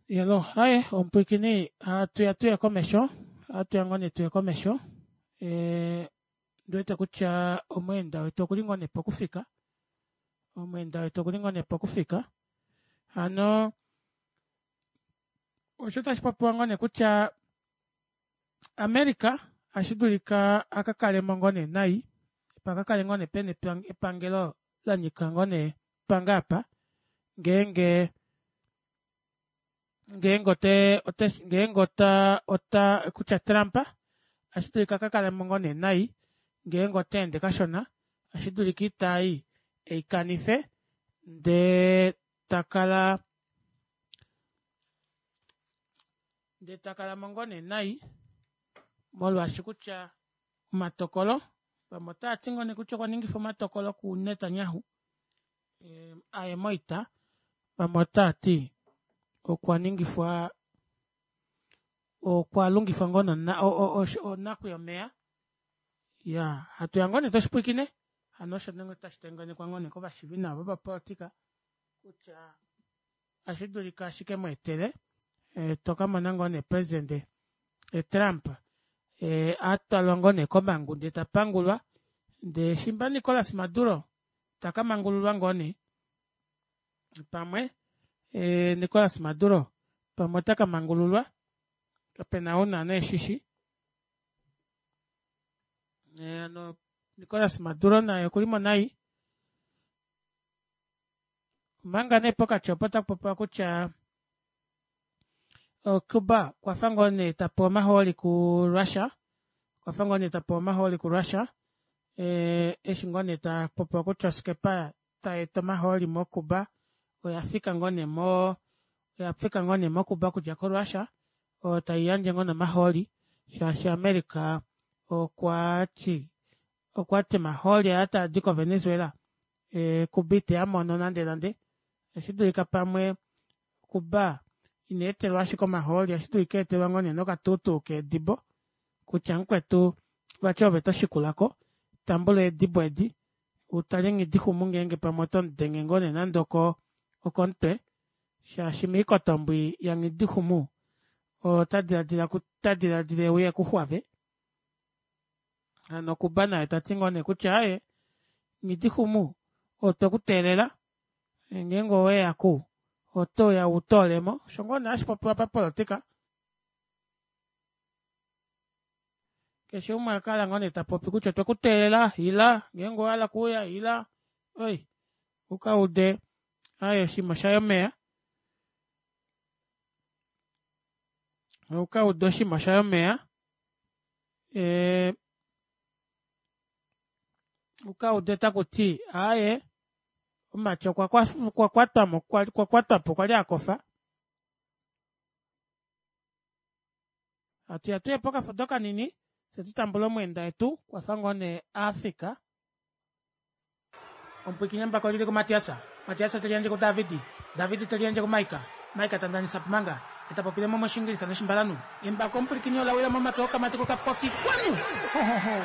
Yelo, aye, omupwiikini, hatu ya tuye komesho, hatu ya ngoo nee tuye komesho. E, ndi wete kutya omweenda wetu okuli ngoo nee pokufika. Omweenda wetu okuli ngoo nee pokufika. Hano, osho tashi popiwa ngoo nee kutya America ashi dulika a ka kale mo ngoo nee nai, pa ka kale ngoo nee pena epangelo la nyika ngoo nee panga apa, ngeenge ngeenge ote ote ngeenge ota ota kutya Trump ashi dulika ka kale mo ngoo nee nai ngeenge ota ende kashona ashi dulika itai ei kanife ndee ta kala ndee ta kala mo ngoo nee nai molwaashi kutya omatokolo vamwe otava ti ngoo nee kutya okwa ningifa omatokolo kuNetanyahu aye moita, vamwe otava ti okwa ningifwa okwa lungifwa ngoo onaku yomeya ya hatu ya ngoo nee toshipwikine hano osho nenge tashi tengenekwa ngoo nee kovashivi nawa vopapolitika kutya ashi dulika ashike mu etele e, to ka mona ngoo nee presidente e, Trump e, a twalwa ngoo nee komhangu ndee ta pangulwa ndee shimba Nicolas Maduro ta ka mangululwa ngoo nee pamwe e, Nicolas Maduro pamwe ota ka mangululwa kape na ou naana eshishi e, ano Nicolas Maduro naye okuli mo nai omanga nee pokati opo taku popiwa kutya Cuba okwa fa ngoo nee ta pewa omahooli kuRussia okwa fa ngoo nee ta pewa omahooli kuRussia eh, eshi ngoo nee ta popiwa kutya oskepa tai eta omahooli moCuba oya fika ngoo nee mo oya fika ngoo nee moCuba okudja koRussia oyo tai yandje ngoo nee omahooli shaashi America okwa ti okwa ti omahooli aa taa di koVenezuela eh, Cuba ite a mono nande nande otashi dulika pamwe Cuba ina etelwa ashike omahooli otashi dulika etelwa ngoo nee nokatuutuu keedibo kutya mukwetu vati ove to shikula ko tambula eedibo edi u tale nghidixumu ngeenge pamwe oto mu denge ngoo nee nande oko okomutwe shaashi miikotombwi yanghidixumu ota diladila ota diladila euye kuxwave hano Kuba naye ta ti ngoo nee kutya aye nghidixumu otwe ku teelela ngeenge oweya ku oto ya u toolemo osho ngoo nee hashi popiwa papolitika Keshe umwe a kala ngoo nee ta popi kutya otwe ku teelela, ila, ngeenge owa hala okuuya, ila, oi, u ka ude aye oshinima shaye omeya. U ka ude oshinima shaye omeya. E, Uka ude taku ti aaye omumati okwa okwa kwatwa mo okwa kwatwa po okwa li a kofa. Hatu ya tuye pokafudo kanini fye tu tambule omweenda wetu kwafa ngoo nee a fika. Omupwiikini embako oli li kuMatias, Matias te liyandje kuDavid, David te liyandje kuMaika, Maika ta ndanisa Pumanga, e ta popile mo mOshiingilisa nOshimbalanhu. Embako omupwilikini ola wila momake okamati kokapofi. Kwanu! Ho, ho, ho!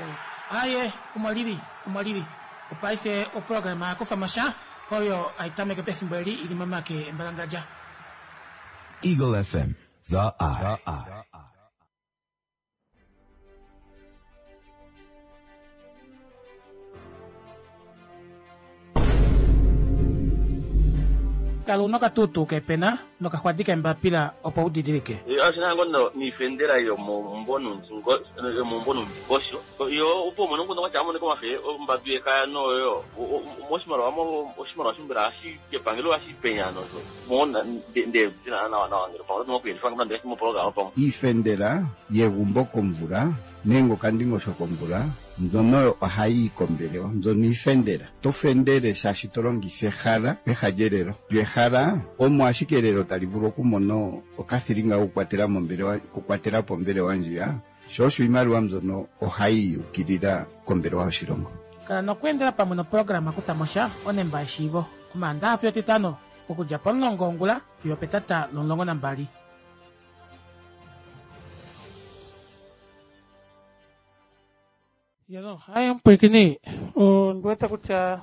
Aaye, omo li li, omo li li. Opaife oprograma ya kufa mo sha, oyo hai tameke pefimbo eli i li momake embalangadja. Eagle FM, the eye. Kala una okatuutuu keepena nokaxwadi keembapila opo u didilike. Oshi na ngo niifendela yomomumvo nuundingosho yo opo umone omukundu gwatya amonike omafe ombambi yekaya noyo moshimaliwa oshimaliwa shombela ohashi kepangelo ohashi penya nosho Iifendela yegumbo komvula nenge okandingosho komvula mbyono oyo ohayi yi kombelewa. Mbyono iifendela. To fendele shaashi to longitha ehala peha lyelelo. Lyo ehala omo ashike elelo tali vulu okumona okathilinga kokukwatela mombelewa, okukwatela po ombelewa ndjiya, sho osho iimaliwa mbyono ohayi yi ukilila kombelewa yoshilongo. Kala nokweendela pamwe noprograma Kutha mo sha, Onemba yeshiivo, Omaandaha fiyo Etitano, okudja pomulongo wongula fiyo opetata lomulongo nambali. Yelo, haye omupwiikini, ondi wete kutya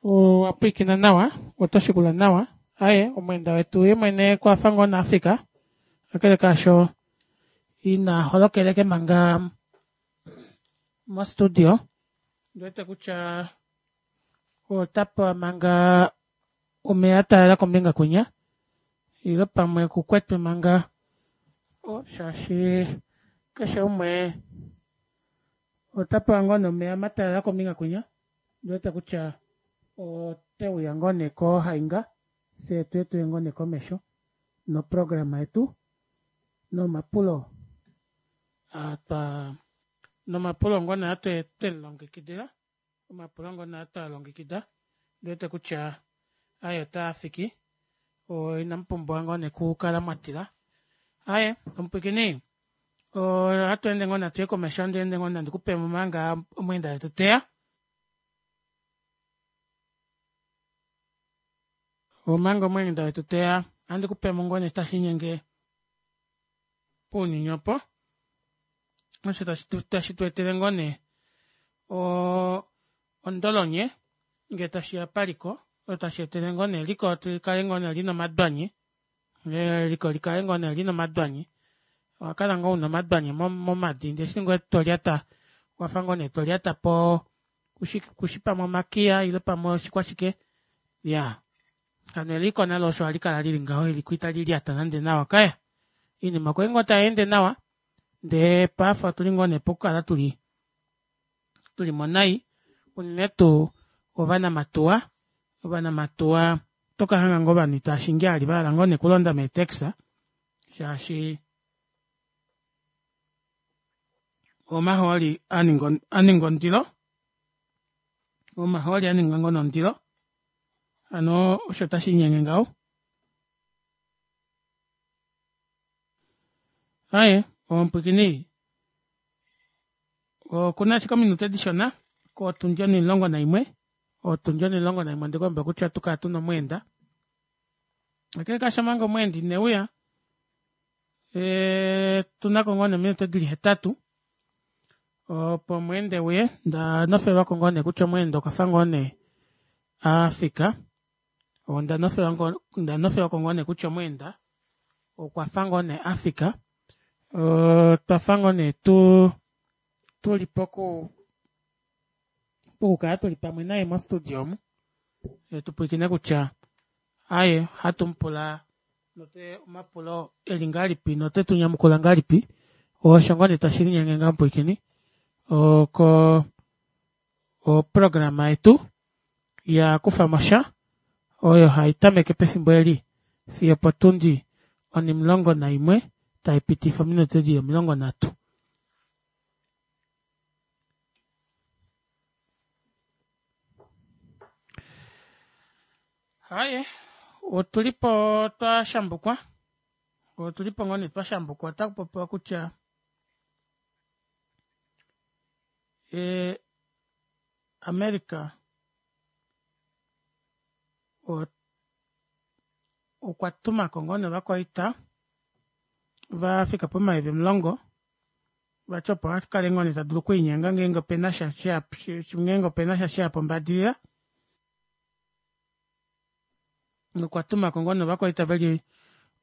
owa pwiikina nawa, oto shikula nawa. Aye, omweenda wetu ye mwene okwa fa ngoo naAfrika, kakele kaasho ina holokeleke manga mostudio. Ndi wete kutya ota pewa manga omeya a talala kombinga kwinya ile pamwe kukwetwe manga shaashi keshe umwe ota pewa ngoo nee omeya matalala kombinga kwinya ndi wete kutya ote uya ngoo nee kohainga fye tuye tuye ngoo nee komesho noprograma yetu nomapulo twa nomapulo ngoo nee twe twelilongekidila omapulo ngono twa longekida ndi wete kutya aye otaa fiki inamu pumbwa ngoo nee kukala mwa tila aye omupwikini ohatu ende ngoo natu ye komesho andi ende ngoo nandi kupemo manga omweenda wetu teya omanga omweenda wetu teya andi kupemo ngoo nee tashi inyenge pounyuni opo osho tashi tu etele ngoo nee ondolonye ngee tashi ya paliko osho tashi etele ngoo nee eliko likale ngoo nee lina omadwanyi eliko likale ngoo nee lina omadwanyi owa kala ngoo una omadwanyi momadi ndee eshi ngoo tolyata wafa ngoo nee tolyata po kushi pamwe omakiya ile pamwe oshikwashike ya hano eliko nalo osho hali kala lili ngaho eliko itali lyata nande nawa kaya Iinima okwa li ngoo tai ende nawa, ndee paife otuli ngoo nee pokukala tuli tuli mo nai, unene tuu ovanamatuwa, ovanamatuwa oto ka hanga ngoo ovanhu itaa shingi ali vahala ngoo nee okulonda meetaxi shaashi omahooli a ninga ondilo, omahooli a ninga ngoo nee ondilo, hano osho tashi linyenge ngaho. Aye, omupwikini okuna ashike ominute dishona kotundi onimulongo naimwe otundi onimulongo naimwe ondiku kutya otu kala tuna omweenda kakele kaasho omanga omweenda ineuya e, tunako ngoo nee ominute dili hetatu opo omweenda euye nda nofelwako ngoo nee kutya omweenda okwafa ngoo nee afika Onda nofelwa ko ngoo nee kutya omweenda okwa fa ngoo nee a fika. Otwa fa ngoo nee tu tuli poku pokukala tuli pamwe naye mostudio omu tu pwilikine kutya aye ohatu mu pula note omapulo eli ngahelipi note tu nyamukula ngahelipi. Osho ngoo nee tashi linyenge ngaho mupwilikini oko oprograma yetu ya kufa mo sha oyo hai tameke pefimbo eli fiyo opotundi onimulongo naimwe tai pitifa ominute dili 30. Haye, otulipo twa shambukwa. Otulipo ngoo nee twa shambukwa. Otaku popiwa kutya e, America okwa tuma ko ngoo nee ovakwaita va fika pomayovi 10 vati opo a kale ngoo nee ta dulu okwiinyenga ngeenge opena sha ngeenge opena sha sheya po ombadilila. Okwa tuma ko ngoo nee ovakwaita veli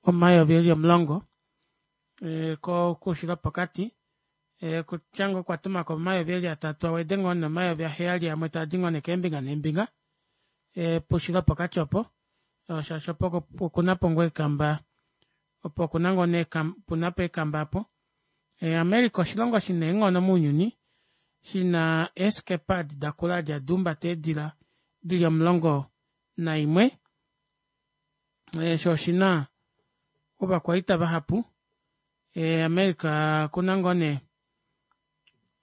omayovi eli 10 e, koushilo wopokati e, kutya ngoo okwa tuma ko omayovi eli atatu awede ngoo nee omayovi aheyali amwe taa di ngoo nee keembinga neembinga e, poushilo wopokati opo shaashi opo okuna po ngoo eekamba opo okuna ngoo nee puna po eekamba apo. America oshilongo shina eenghono mounyuni shina eeskepa adi dakula adi hadi humbata eedila dili 11 sho oshina ovakwaita vahapu. America okuna ngoo nee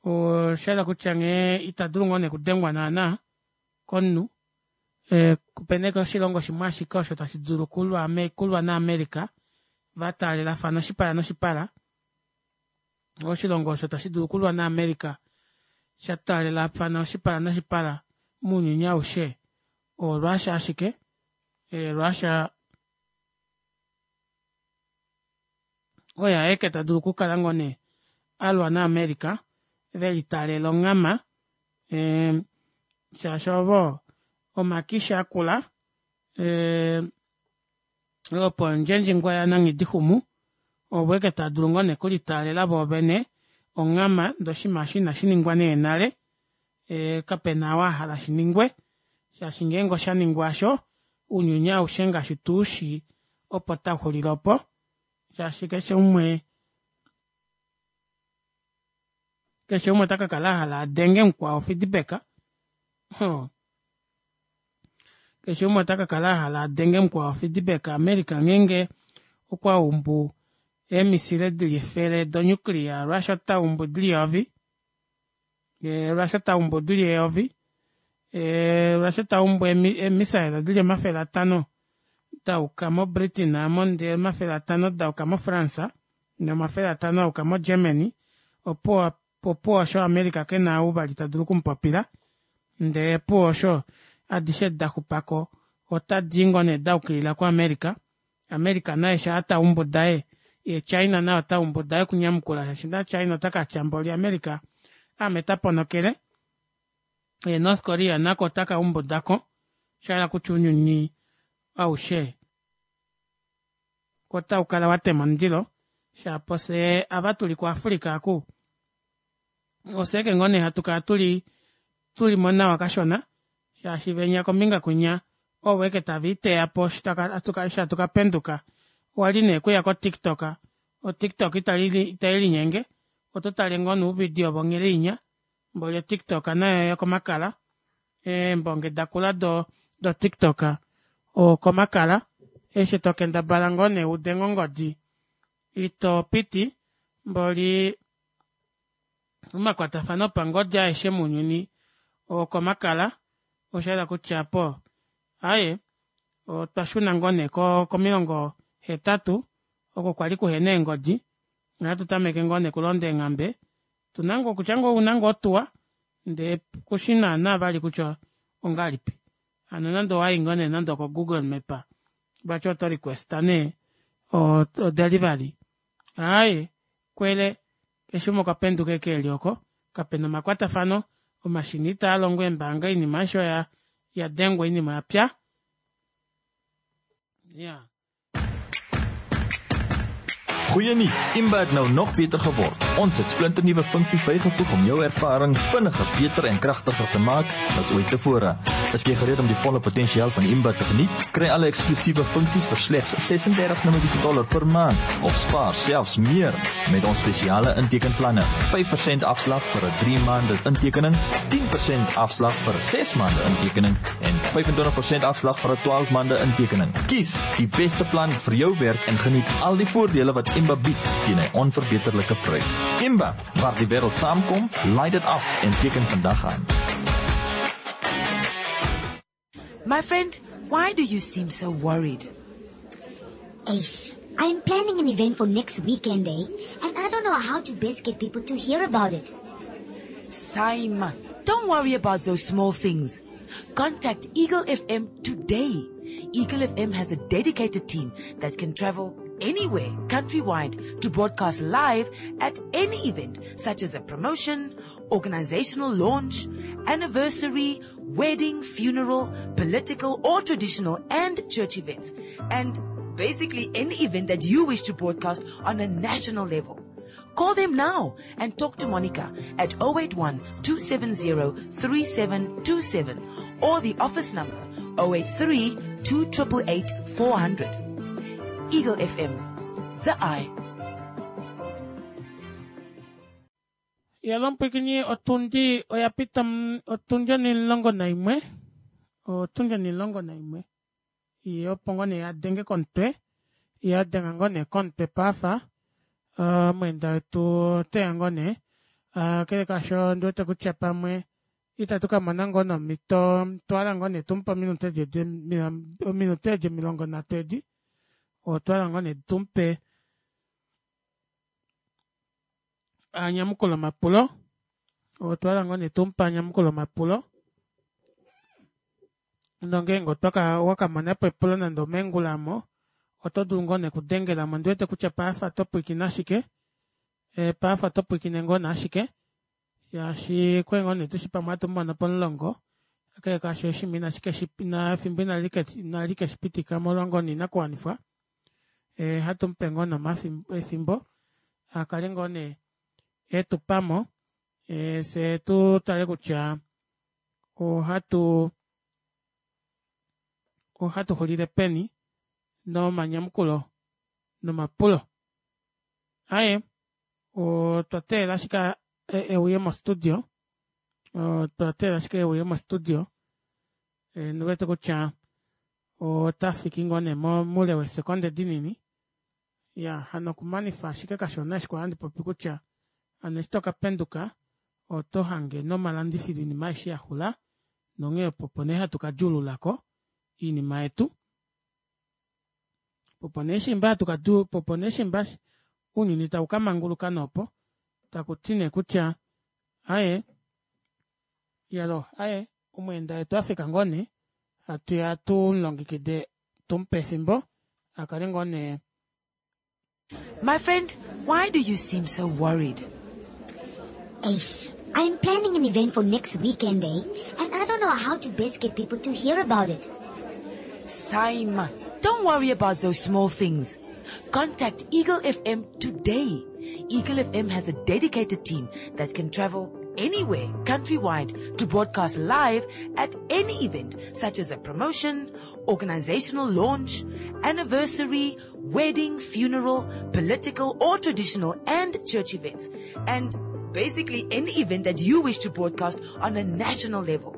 oshahala kutya nghee ita dulu ngoo nee okudengwa naana komunhu. Opena ashike oshilongo shimwe ashike osho tashi dulu okulwa naAmerica vataalelafana oshipala noshipala. Oshilongo osho tashi dulu okulwa naAmerica sha taalelafana oshipala noshipala mounyuni aushe oRussia ashike. Russia oye aeke ta dulu okukala ngoo nee alwa naAmerica velitaalela onghama shaashi ovo omakisha akula opo ondjendjingwa yananghidixumu ovo eke taa dulu ngoo nee okulitaalela voovene onghama ndee oshinima osho inashi ningwa nee nale kapena ou ahala shiningwe shaashi ngeenge oshaningwa aasho ounyuni aushe ngaashi tuushi opo tauxulile opo shaashi keshe umwe keshe umwe ota kakala ahala adenge mukwao feedback keshe umwe ota kakala ahala adenge mukwao feedback. America ngeenge okwa umbu eemisile dili 100 donuclear Russia ota umbu dili 1000 Russia ota umbu dili 1000 Russia ota umbu eemissile dili 500 dauka moBritain amo ndee 500 dauka moFrance no500 auka moGermany opo osho America kena ou vali ta dulu okumupopila ndee opuwo osho adishe daxupako otadi ngoo nee daukilila kuAmerica. America naye shaa taumbu daye ye China naye ota umbu daye okunyamukula shaashi na China ota katya mboli America aame taponokele ye North Korea nako otaka umbudako shahala kutya ounyuni aushe otaukala watema omundilo shapo fyee ava tuli kuAfrica aku ofye ashike ngoo nee hatu kala tuli tulimo nawa kashona shaashi venya kombinga kwinya ovo ashike tave iteya po eshi hatu kapenduka owali nee kuya koTikTok oTikTok itailinyenge oto tale ngoo nouvidio vonghele inya mboli oTikTok nayo yokomakala eembonge dakula doTikTok okomakala eshi tokendabala ngoo nee udenge ongodi ito piti mboli omakwatafano opangodi aeshe mounyuni okomakala oshahala kutya apo aaye otwa shuna ngoo nee komilongo 80 oko kwali kuhena eengodi ohatu tameke ngoo nee okulonda eenghambe tuna ngoo kutya ngoo ouna ngoo otuwa ndee kushi naana vali kutya ongahelipi hano nande owayi ngoo nee nande oko Google Map vati oto requesta nee o delivery aaye kwele keshe umwe okwa penduka eke eli oko kapena omakwatafano omashina itaa longo eembaanga oinima aishe oya yadengwa oinima oyapya ja. Goeie nuus, Imba het nou nog beter geword. Ons het splinternuwe funksies bygevoeg om jou ervaring vinniger, beter en kragtiger te maak as ooit tevore. Is jy gereed om die volle potensiaal van Imba te geniet? Kry alle eksklusiewe funksies vir slegs 36 Namibiese dollar per maand of spaar selfs meer met ons spesiale intekenplanne. 5% afslag vir 'n 3 maande intekening, 10% afslag vir 'n 6 maande intekening en 25% afslag vir 'n 12 maande intekening. Kies die beste plan vir jou werk en geniet al die voordele wat Imba bied teen 'n onverbeterlike prys. Imba, waar die wêreld saamkom, laai dit af en teken vandag aan. My friend, why do you seem so worried? Ace, I'm planning an event for next weekend, eh? And I don't know how to best get people to hear about it. Saima, don't worry about those small things. Contact Eagle FM today. Eagle FM has a dedicated team that can travel anywhere countrywide to broadcast live at any event such as a promotion, organizational launch, anniversary, wedding, funeral, political or traditional and church events. And basically any event that you wish to broadcast on a national level. Call them now and talk to Monica at 081 270 3727 or the office number 083 2888 400. Eagle FM, the eye. Yalo mupwiikini otundi oya pita otundi onimulongo naimwe otundi onimulongo naimwe ye opo ngoo nee ya denge komutwe ya denga ngoo nee komutwe paafa omweenda wetu oteya ngoo nee kakele kaasho ondiwete kutya pamwe itatu ka mona ngoo nomhito otwa ngoo nee tumupe ominute edi ominute edi 30 edi otwa ngoo nee tumupe anyamukule omapulo otwa ngoo nee tumupe anyamukule omapulo nongeenge otwaka wakamonapo epulo nande omeengula aamo oto dulu ngoo nee okudengelamo ondiwete kutya paife oto pwiikine ashike paife oto pwiikine ngoo nee ashike shaashi okwali ngoo nee tushi pamwe ohatu mumono pomulongo kakele kaasho oshinima efimbo inali keshipitika omolwa ngoo nee oinakuwanifwa ohatu mupe ngoo nee efimbo akale ngoo nee etupamo fyee tutale kutya ohatu ohatu xulile peni nomanyamukulo nomapulo. Aaye otwa teelela ashike euye mostudio otwa teelela ashike euye mostudio ondiwete kutya otafiki ngoo nee moule weesekonde dinini ya hano okumanifa ashike kashona eshi kwali handi popi kutya hano eshi tokapenduka oto hange nomalandifilo oinima aishe yaxula nonghee opo opo nee hatu kadjuululako oinima yetu opo nee shimba hatu ka opo nee shimba ounyuni tau kamanguluka noopo takuti nee kutya aaye iyaloo aaye omweenda wetu afika ngoo nee hatuya tumulongekide tumupe efimbo akale ngoo nee My friend, why do you seem so worried? Ace, I'm planning an event for next weekend, eh? And I don't know how to best get people to hear about it. Saima, don't worry about those small things. Contact Eagle FM today. Eagle FM has a dedicated team that can travel anywhere countrywide to broadcast live at any event such as a promotion, organizational launch, anniversary, wedding, funeral, political or traditional and church events. And basically any event that you wish to broadcast on a national level.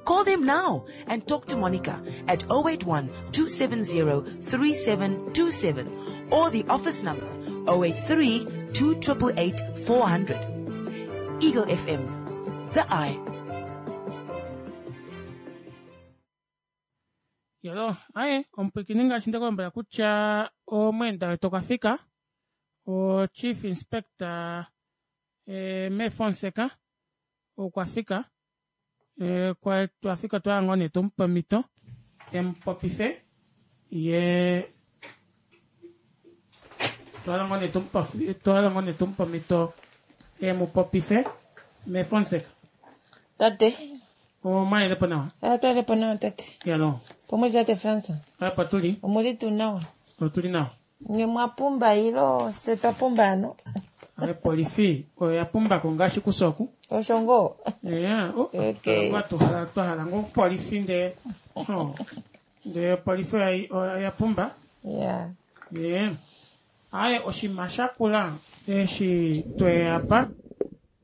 Call them now and talk to Monica at 081 270 3727 or the office number 083 2888 400. Eagle FM, the eye. Yalo, aye, omupwiikini ngaashi ndekulombwela kutya omweenda wetu okwa fika, o Chief Inspector e, me Fonseca okwa fika e, kwa twafika twaya ngoo nee tumupe omhito emupopife ye twala ngoo nee tumupe twala ngoo nee tumupe omhito emupopife me Fonseca. Tate. Omwalelepo nawa? Atwalepo nawa tate. Yalo. Pomwe tate Fransa. Apa tuli. Omuli tuu nawa? Otuli nawa. Nye mwa pumba ilo se twa pumba ano. Opolifi oya pumbako ngaashi kusoku. Osho ngoo. Yeah, oh, Okay. twa twa hala ngoo opolifi ndee oh, ndee opolifi oya oya pumba. Yeah. Yeah. Aye oshinima shakula eshi tweya apa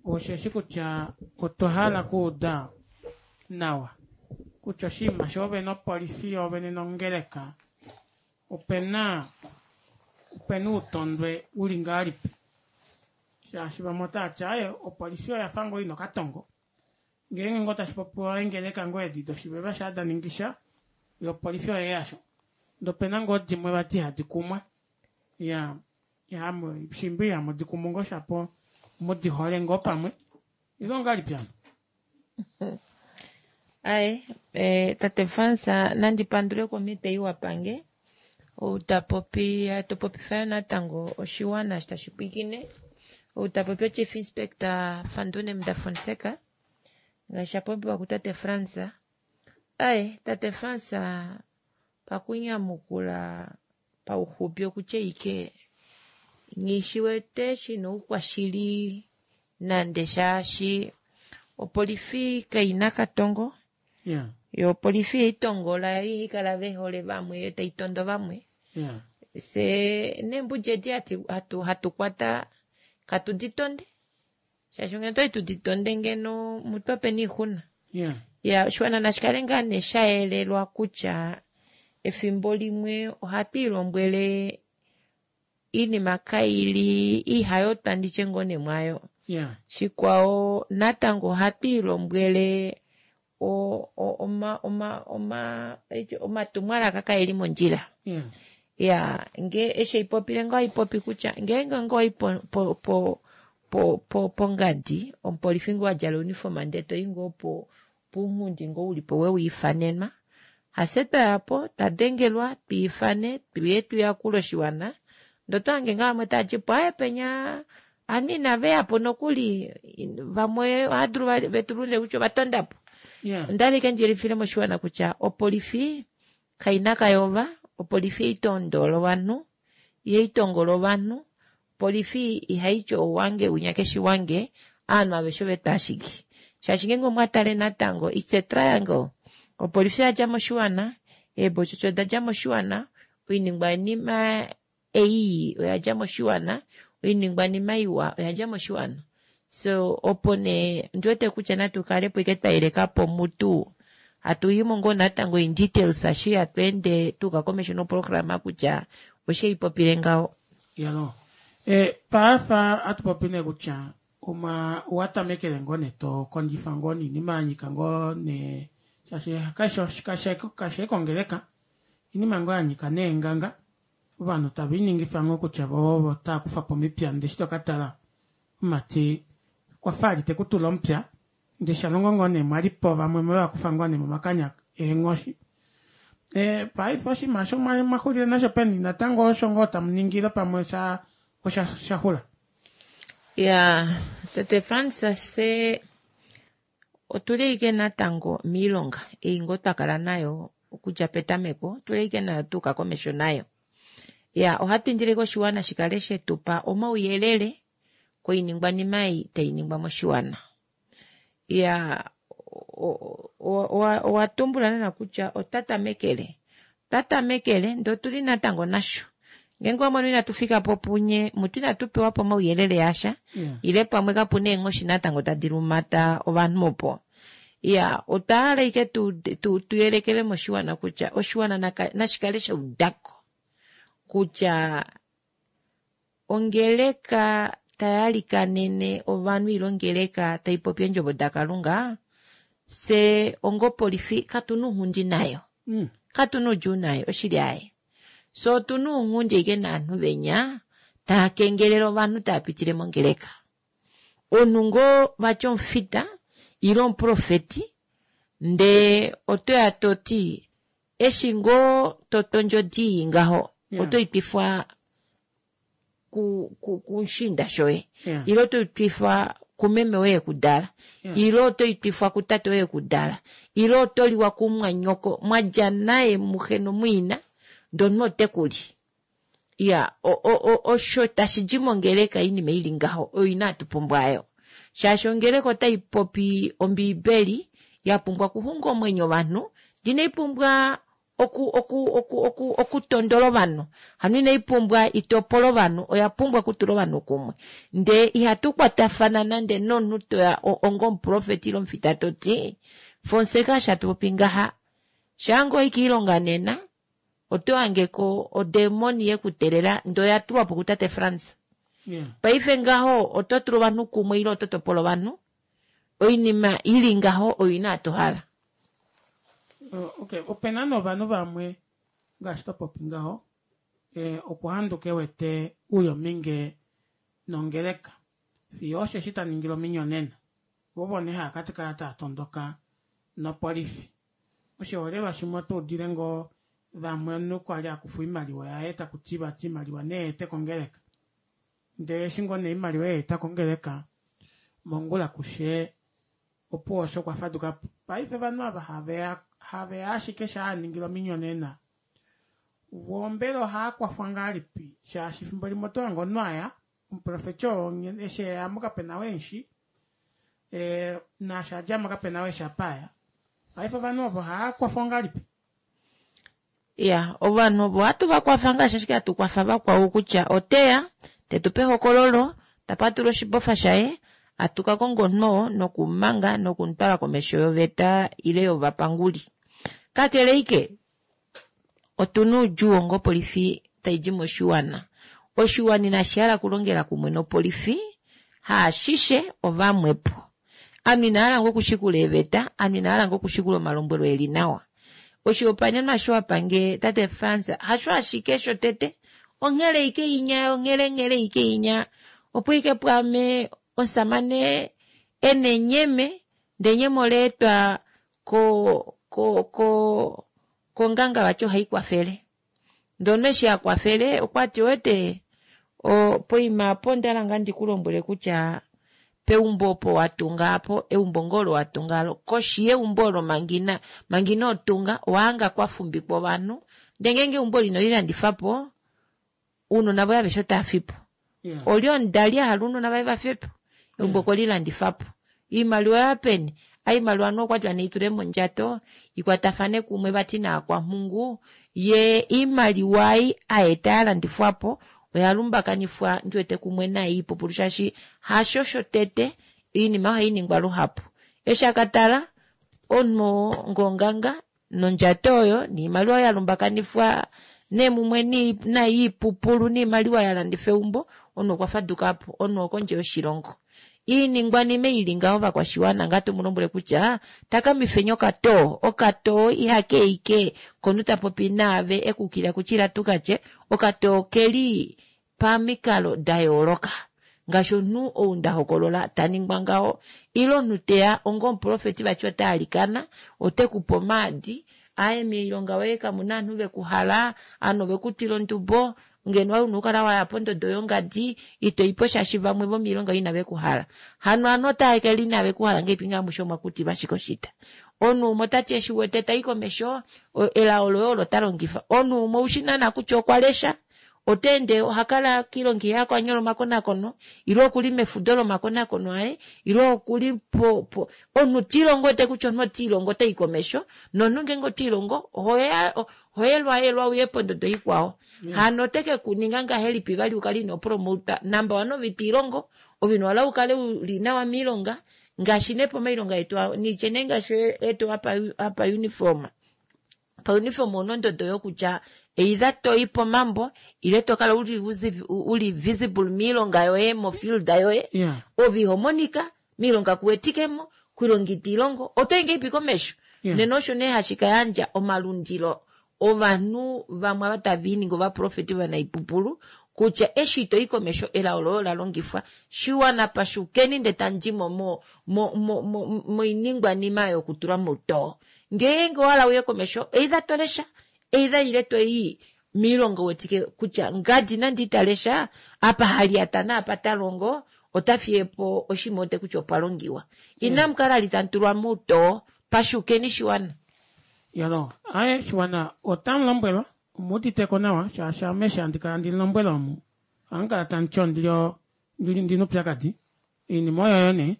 osheshi kutya otwa hala okuuda nawa kutya oshinima shoovene opolifi yoovene nongeleka opena opena outondwe uli ngahelipi shaashi vamwe otava ti aaye opolifi oya fa ngoo ina okatongo ngeenge ngoo tashi popiwa eengeleka ngoo edi doshiveva shaa da ningi sha Yopolifi oye yasho. Ndee opena ngoo dimwe vati ihadi kumwa. Ya, ya, shimbi ihamu di kumu ngoo shapo mu di hole ngoo pamwe. Ile ongahelipi hano? Aye, eh, tate Frans, nandi pandule komhito ei wa pange. Ou ta popi, to popifa yo natango oshiwana eshi tashi pwilikine. Ou ta popi oChief Inspector Fandune Muda Fonseca, ngaashi sha popiwa kutate Frans. Aye, tate Frans, pakunyamukula pauxupi okutya ike nghi shina oukwashili nande shaashi opolifi kaina katongo. Yeah. Yo opolifi ihaitongola, yo ihaikala vehole vamwe, yo taitondo vamwe. Yeah. Se neembudi edi hatu, hatu kwata katu di tonde. Shaashi ngeno otwali tu di tonde ngeno mutwa peni oixuna. Yeah. Ya, oshiwana nashi kale ngaa nee sha yelelwa kutya efimbo limwe ohatu ilombwele iinima kaili ihayotwa nditye ngoo nee mwayo. Yeah. Shikwao natango ohatu ilombwele o, o, oma, oma, oma, omatumwalaka kaeli mondjila. Yeah. Ya, nge eshi ipopile ngoo ipopi kutya ngeenge ngoo ipo po po po po pongadi omupolifi ngoo adjala uniform ndee toyi ngoo po pounghundi ngoo ulipo wewiifanenwa. Hafye twayapo twadengelwa twiifane tuye tuyakule oshiwana ndee otohange ngaa vamwe tavati po aaye penya ovanhu inaveyapo nokuli vamwe ohadulu vetulule kutya ovatondapo. Yeah. Ondali ike ndiyelifile moshiwana kutya opolifi kaina kayova, opolifi ihaitondola ovanhu, ihaitongola ovanhu, opolifi ihaiti owange winya keshi wange, ovanhu aveshe ovetu ashike. Shaashi ngeenge omwatale natango it's a triangle. Opolifi oyadja moshiwana, eebotsotso odadja moshiwana, oiningwanima ei oyadja moshiwana, oiningwanima iwa oyadja moshiwana. So opo nee ndiwete kutya natu kalepo ike twayelekapo mutu hatu yimo ngoo natango in details eshi hatu ende tuuka komesho noprograma kutya osheipopile ngaho. Yalo. E, paafa hatu popi nee kutya oma owatamekele ngoo nee to kondjifa ngoo niinima ya nyika ngoo nee shaashi kashi kongeleka inima ngoo ya nyika neenganga ovanhu tava iningifa ngoo kutya vo otava kufa po omipya ndee eshi tokatala omati okwafa ali tekutula omupya ndee shalongo ngoo nee mwalipo vamwe mwevakufa ngoo nee momakanya eenghoshi. E, paife oshinima osho mwaxulile nasho peni natango osho ngoo tamuningile pamwe sha osha shaxula. Ya, tate Frans se otuli ike natango miilonga ei ngoo twakala nayo okudja petameko otuli ike nayo tuuka komesho nayo. Ya, ohatu indile koshiwana shikale shetupa omauyelele koiningwanima ei tainingwa moshiwana. Ya, owa tumbula nana kutya otwatamekele twatamekele ndee otuli natango nasho. Ngeenge wamono inatu fikapo punye mutu inatu pewapo omauyelele asha Yeah. ile pamwe kapuna eenghoshi natango tadi lumata ovanhu opo. Ya, otwahala ike tuyelekele moshiwana kutya oshiwana nashikale shaudako kutya ongeleka tayalikanene ovanhu ile ongeleka taipopi eendjovo dakalunga se ongopolifi katuna ounghundi nayo. Katuna oudjuu nayo oshili aaye. So otuna ounghundi ashike novanhu venya taakengelele ovanhu taapitile mongeleka. Omunhu ngoo vati omufita ile omuprofeti ndee otoya toti eshi ngoo totondjo odi ngaho Yeah. otoitwifwa kumushiinda shoye. Yeah. Ile otoitwifwa kumeme woye ekudala. Yeah. Ile otoitwifwa kutate woye ekudala. Ile otoliwa kumwanyoko mwadja naye muxe nomwiina ndee omunhu otekuli. Ya, osho tashidi mongeleka oinima ili ngaho oyo inatu pumbwayo. Shaashi ongeleka otaipopi ombiibeli yapumbwa okuxunga omwenyo ovanhu, inaipumbwa okutondola ovanhu. Hano inaipumbwa itopole ovanhu, oya pumbwa okutula ovanhu kumwe. Ndee ihatu kwatafana nande nomunhu toya onga omuprofeti ile omufita toti Fonseca eshi hatupopi ngaha shaanga oyi kiilonga nena otohangeko odemoni yekutelela ndee oya tulwapo kutate Frans. Yeah. Paife ngaho ototula ovanhu kumwe ile ototopola ovanhu oinima ili ngaho oyo inatuhala. Okay, opena novanhu vamwe ngaashi to popi ngaho eh, okwa handuka e wete uli ominge nongeleka fiyo osheshi ta ningile ominyonena vo ovo nee hava ka kala tava tondoka nopolifi. Oshiholelwa shimwe oto udile ngoo vamwe omunhu kwa li a kufa oimaliwa yaye taku ti vati oimaliwa ne ete kongeleka ndele eshi ngoo nee oimaliwa ya eta kongeleka mongula kushe opuwo osho kwa faduka po. Paife ovanhu ava haveya haveya ashike shaa a ningilwa ominyonena voo mbela ohaa kwafwa ngahelipi shaashi efimbo limwe oto hange omunhu aya omuprofeti oo eshi eya mo kapena oo emushi e, naashi a dja mo kapena oo eshi apa aya. Paife ovanhu ovo ohaa kwafwa ngahelipi? Ya, ovanhu ovo ohatu va kwafa ngaashi ashike hatu kwafa vakwao kutya oteya, te tu pe ehokololo, ta patulula oshibofa shaye, hatu ka konga omunhu oo nokumumanga nokumutwala komesho yoveta ile yovapanguli. Kakele ike, otu na oudjuu onga opolifi tai di moshiwana. Oshiwana inashi hala okulongela kumwe nopolifi, haashishe ovamwepo. Ovanhu inava hala ngoo okushikula eeveta, ovanhu inava hala ngoo okushikula omalombwelo eli nawa. Oshihopaenenwa osho wa pange tate Frans hasho ashike shotete, onghele ike inya, onghele nghele ike inya, opo ike pwaame omusamane ena enyeme, ndee enyeme ola etwa ko ko ko konganga vati ohai kwafele. Ndee omunhu eshi akwafele okwati owete poima apo ondahala ngaa ndikulombwele kutya peumbo opo watunga apo eumbo ngoo olo watunga alo koshi yeumbo olo manga ina manga inotunga owahanga kwafumbikwa ovanhu ndee ngeenge eumbo oli inolilandifapo ounona voye aveshe otava fipo. Olye omudali ahala ounona vaye vafye po? Eumbo okwe li landifa po. Oimaliwa oya peni? Oimaliwa anuwa okwa tiwa neitule mondjato ikwatafane kumwe vati naakwamhungu. Ye oimaliwa ei a eta ya landifwa po oya lumbakanifwa ndi wete kumwe naai ipupulu shaashi hasho shotete oinima ohai ningwa luhapu. Eshi a ka tala omunhu oo ngonganga nondjato oyo niimaliwa ya lumbakanifwa nemumwe nai iipupulu niimaliwa ya landifa eumbo, omunhu okwa faduka po, omunhu okondje yoshilongo. Iiningwanima ei ili ngaho vakwashiwana ngaa tomu lombwele kutya takamifeni okatoo, okatoo ihake ike komunhu ta popi naave ekukila kutya ila tukatye, okatoo okeli pamikalo da yooloka ngaashi omunhu ou nda hokolola ta ningwa ngaho ile omunhu teya onga omuprofeti vati ota alikana ote ku pe omaadi aye moilonga yoye kamu na ovanhu ve ku hala ovanhu ove ku twila ondubo ngeno wali una okukala waya pondodo yongadi ito ipo shaashi vamwe vomoilonga yoye inave ku hala hano ovanhu otava kala inave ku hala ngahelipi ngee amushe omwa kutilwa ashike oshita omunhu umwe ota ti eshi wete tai komesho elao loye olo ta longifa omunhu umwe oushi naana kutya okwa lesha Ota ende oha kala kiilonga iha ko a nyola omakonakono ile okuli mefudo lomakonakono aye ile okuli po, po omunhu ta ilongo wete kutya omunhu ota ilongo ota i komesho nomunhu ngeenge oto ilongo ohoya ohoyelwayelwa uye pondodo ikwao hano ote ke ku ninga ngahelipi vali ukale ino promotwa number one ove ito ilongo ove ino hala ukale uli nawa miilonga ngaashi nee pomailonga etu nitye nee ngaashi etu apa apa uniform pauniform ouna ondodo yokutya either toyi pomambo ile to kala uli, uli visible miilonga yoye mofield yoye yeah. ove iho monika miilonga kuwetikemo kuilonga ito ilongo oto yi ngeipi komesho yeah. nena osho nee hashi ka yandja omalundilo ovanhu vamwe ava tava iningi ovaprofeti vanaipupulu kutya eshi ito yi komesho elao loye ola longifwa shiwana pashukeni nde tandimo mo mo mo moiningwanima yokutulwa moutoo Ngeenge owa hala uye komesho, either to lesha, either ile to i miilonga wetike kutya ngadi nande ita lesha, apa ha lyata naapa ta longo ota fiye po oshinima wete kutya opwa longiwa. Inamu kala li tamu tulwa moutoo, pashukeni shiwana. Yolo, aye shiwana otamu lombwelwa, omu uditeko nawa shaashi ame eshi handi kala ndi lombwela omu, ohamu kala tamu ti ondili ndina oupyakadi. Oinima oyoyo nee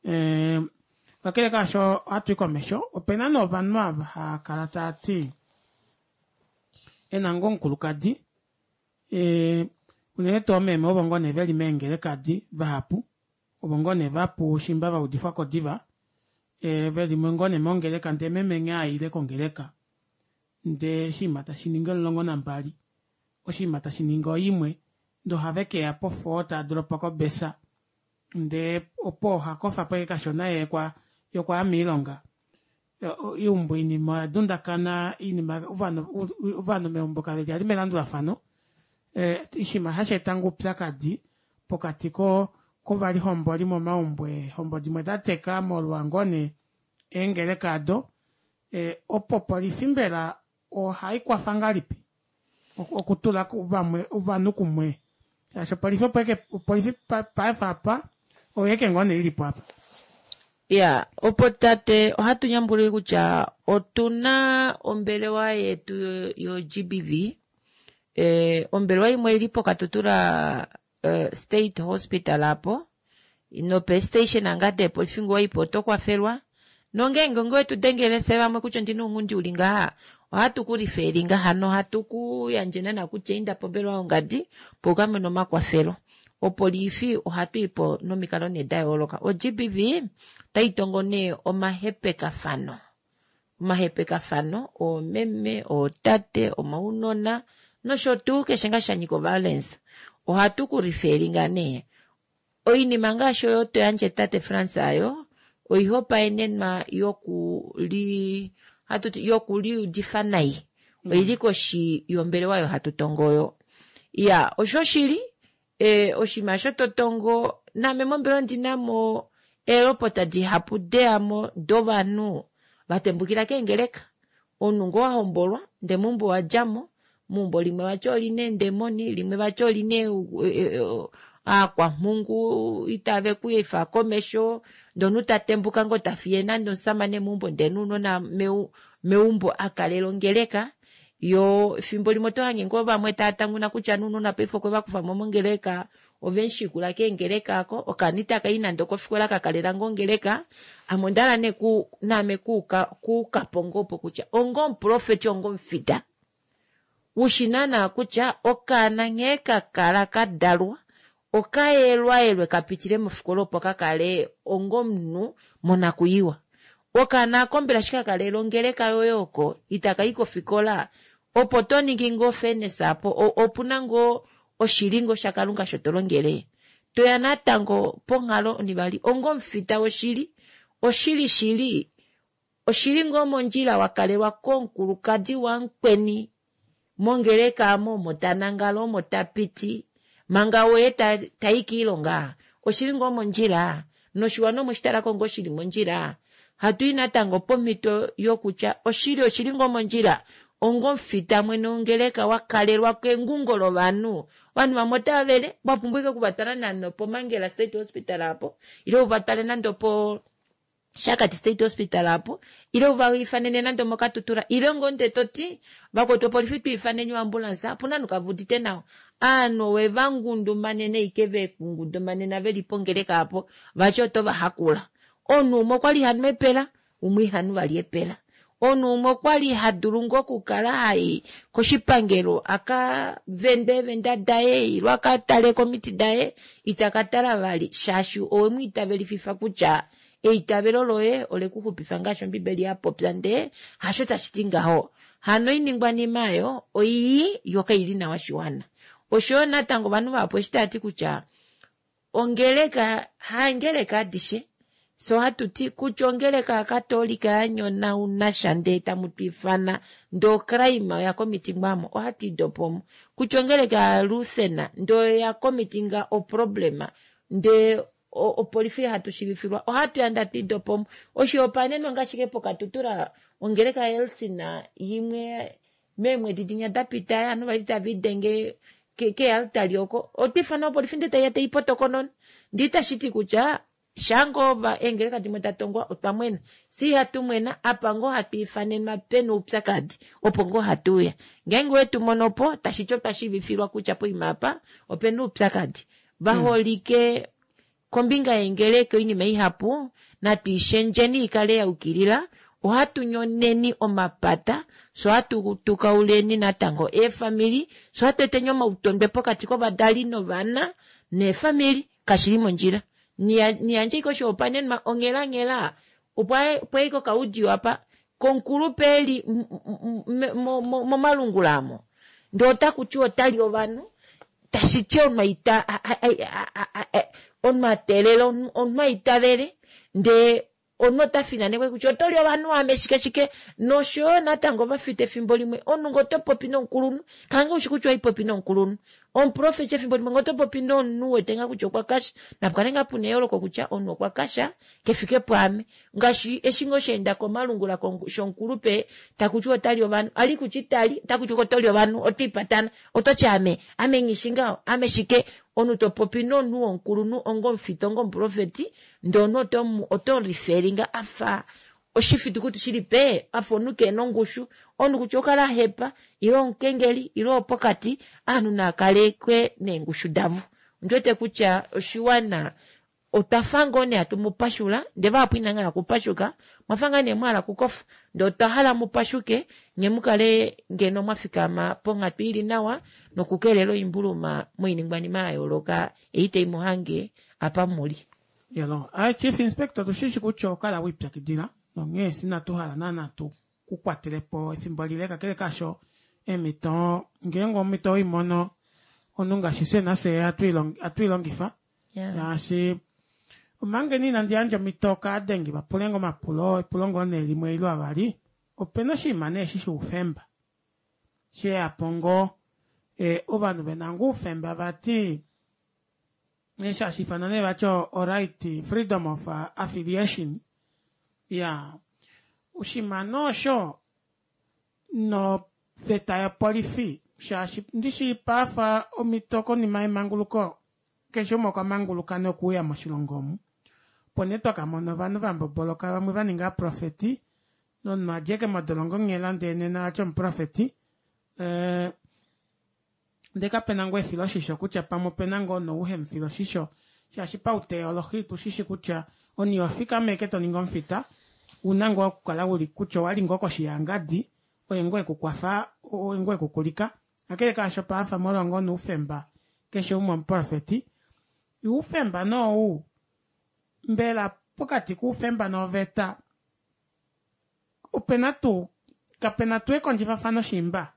Eh, kakele kaasho ohatu i komesho ope na nee ovanhu ava hava kala tava ti e na ngoo omukulukadi eh, unene tuu oomeme ovo ngoo nee ve li meengelekadi vahapu ovo ngoo nee vapu shimba va udifwa ko diva eh, ve li ngoo nee mongeleka ndee meme nghee aile kongeleka ndee oshinima tashi ningi 12 oshinima tashi ningi oimwe ndee ohave keya pofoo tava doropa kobesa ndee opo oha kofa po ashike kashona ye kwa yokwaya miilonga. Eumbo oinima oya dundakana, oinima ovanhu ovanhu meumbo kave li ali melandulafano. Oshinima hashi eta ngoo oupyakadi pokati ko kovalihomboli momaumbo eehombo dimwe da teka molwa ngoo nee eengeleka ado. Opo opolifi mbela ohai kwafa ngahelipi okutula vamwe ovanhu kumwe shaashi opolifi opo eke opolifi paife apa oyo eke ngoo nee ilipo apa. Ya, opo tate ohatu nyambulile kutya otuna ombelewa yetu yo GBV. Ombelewa imwe ili poKatutura State Hospital apo nope station anga depolifi ngoo ipo oto kwafelwa. Nongeenge ngoo tu dengele se vamwe kutya ondina ounghundi uli ngaha, ohatu ku lifelinga hano ohatu ku yandje nana kutya inda pombelewa yongadi opo uka mone omakwafelo. Opolifi ohatu ipo nomikalo nee da yooloka. O GBV otai tongo nee omahepekafano. Omahepekafano oomeme, ootate, omaunona nosho tuu keshe ngaa sha nyika oviolence. Ohatu ku lifelinga nee. Oinima ngaashi oyo to yandje tate Frans ayo oihopaenenwa yoku li hatu ti yoku liudifa nai. Oili koshi yombelewa oyo hatu tongo oyo. Ya, oshoshili oshinima osho to tongo name mombelewa ondina mo eelopota dihapu deyamo dovanhu va tembukila keengeleka. Omunhu ngoo wa hombolwa ndee meumbo wa djamo, meumbo limwe vati olina eendemoni, limwe vati olina aakwamhungu itave ku efa komesho, ndee omunhu ta tembuka ngoo ta fiye nande omusamane meumbo ndee nounona meumbo a kalela ongeleka. Yo efimbo limwe oto hange ngoo vamwe tava tanguna kutya nounona paife okwe va kufa mo mongeleka, ove mu shikula keengeleka ako, okaana itaka i nande okofikola ka kalela ngoo ongeleka. Ame onda hala nee ku, naame kuuka, kuuka po ngoo opo kutya onga omuprofeti, onga omufita, ushi naana kutya okaana nghee ka kala ka dalwa, okayelwayelwe ka pitile mofikola opo ka kale onga omunhu monakuyiwa. Okaana ako mbela shi ka kalela ongeleka yoye oko, itaka i kofikola, opo to ningi ngoo fairness apo, opuna ngoo oshilingo shaKalunga sho to longele. Toya natango ponghalo onivali onga omufita woshili, oshili shili, oshili ngoo mondjila wa kalelwa komukulukadi wamukweni mongeleka amo omo ta nangala omo ta piti manga woye ta i kiilonga, oshili ngoo mondjila noshiwana omwe shi talako ngoo shili mondjila. Hatu i natango pomhito yokutya oshili oshili ngoo mondjila onga omufita mwene wongeleka wa kalelwa kengungo lovanhu. Ovanhu vamwe otava vele, wa pumbwa ike okuvatwala nande opomangela State Hospital apo, ile uvatwale nande opo Shakati State Hospital apo, ile uva ifanene nande omokatutura, ile ngoo nde toti vakwetu opolifi tu ifaneni oambulance, opuna ovanhu kava udite nawa. Aanhu owe va ngundumanene ike ve ku ngundumanena veli pongeleka apo, vati oto va hakula. Omunhu umwe okwali ha nu epela, umwe iha nu vali epela. Omunhu umwe okwali ha dulu ngoo okukala hai koshipangelo aka vende eevenda daye, ile aka tale komiti daye, ita ka tala vali, shaashi owe mu itavelififa kutya eitavelo loye ole ku xupifa ngaashi Ombibeli ya popya, ndee hasho tashi ti ngaho. Hano oiningwanima oyo oii yo kai li nawa shiwana. Osho yo natango ovanhu vahapu eshi tava ti kutya ongeleka hangeleka adishe, so hatu ti kutya ongeleka yaKatolika ya nyonauna sha ndee tamu tu ifana ndee ocrime oya komitingwa mo, ohatu i dopo mo. Kutya ongeleka yaLutheran ndee oya komitinga oproblema ndee opolifi hatu shivifilwa, ohatu yanda tu i dopo mo. Oshihopaenenwa ngaashi ke poKatutura ongeleka yaElcin yimwe meemwedi dinya da pita, ovanhu vali tava idenge kealtari oko, otwa ifana opolifi ndee taiya tai potokonona. Ndee itashi ti kutya shaa ngoo eengeleka dimwe da tongwa otwa mwena, si ihatu mwena, apa ngoo hatu ifanenwa pena oupyakadi opo ngoo hatu uya. Ngeenge owe tu mono po, tashi ti otwa shiivifilwa kutya poima apa opena oupyakadi. Vaholike kombinga yeengeleka oinima ihapu, natu ishendjeni ikale ya yukilila, ohatu nyoneni omapata, so hatu tukauleni natango eefamili, so hatu eteni omautondwe pokati kovadali novana neefamili, kashili mondjila. Niyandje ike oshihopaenenwa onghelanghela, opo aike okaudio apa komukulupe eli momalungula amo, ndee otaku ti otali ovanhu, tashi ti omunhu a teelela, omunhu a itavele, ndee Omunhu ota finanekwa kutya oto li ovanhu ame shike shike noshoyo natango ovafita efimbo limwe omunhu ngee oto popi nomukulunhu kange ushi kutya oipopi nomukulunhu omuprofeti efimbo limwe ngee oto popi nomunhu wete ngaa kutya okwa kasha napukale ngaa puna eyooloko kutya omunhu okwa kasha kefike pwaame ngaashi eshi ngoo shaenda komalungula shomukulupe takutiwa otali ovanhu ali kutya itali takutiwa otoli ovanhu otwiipatana ototi ame ame nghishi ngaho ame shike omunhu topopi nomunhu womukulunhu onga omufita onga omuprofeti ndee omunhu oto oto referringa afa oshifitukuti shili pee afa omunhu keena ongushu omunhu kutya okukala ahepa ile omukengeli ile owopokati ovanhu naakalekwe neengushu davo ondiwete kutya oshiwana otwafa ngoo nee hatu mupashula ndee vahapu inamuhala okupashuka mwafa ngaa nee mwahala okukofa ndee otwa hala mupashuke nye mukale ngeno mwafikama ponghatu ili nawa nokukelela oimbuluma moiningwanima yayooloka ei taimuhange apa muli. Yalo, ai Chief Inspector otushishi kutya oho kala wiipyakidila nonghee inatu hala naana tu ku kwatelepo efimbo lile kakele kaasho eemhito ngeenge omhito oweimono omunhu ngaashi fye nafye ohatu i longifa shaashi omanga ina inandi yandja omhito kaadengi va pule ngoo omapulo epulo ngoo nee limwe ile avali opena oshinima nee eshi shoufemba sheyapo ngoo ovanhu vena ngoo oufemba vati eshi hashi ifanwa nee vati o right freedom of affiliation ya oshinima nee osho noveta yopolifi shaashi ndishi paafa omhito konima yemanguluko keshe umwe okwa manguluka nokuuya moshilongo omu opo nee twakamona ovanhu vamboboloka vamwe vaninga ovaprofeti nomunhu adja modolongo nghela ndee nena vati omuprofeti eh, ndee kapena ngoo efiloshisho kutya pamwe opena ngoo nou hemufiloshisho shaashi pauteolohi tushishi kutya omunhu iho fikama eke toningi omufita una ngoo okukala uli kutya owali ngoo koshi yangadi oye ngoo ekukwafa oye ngoo ekukulika kakele kaasho paafa molwa ngoo noufemba keshe umwe omuprofeti oufemba nou mbela pokati koufemba noveta opena tuu kapena tuu ekondjifafano shimba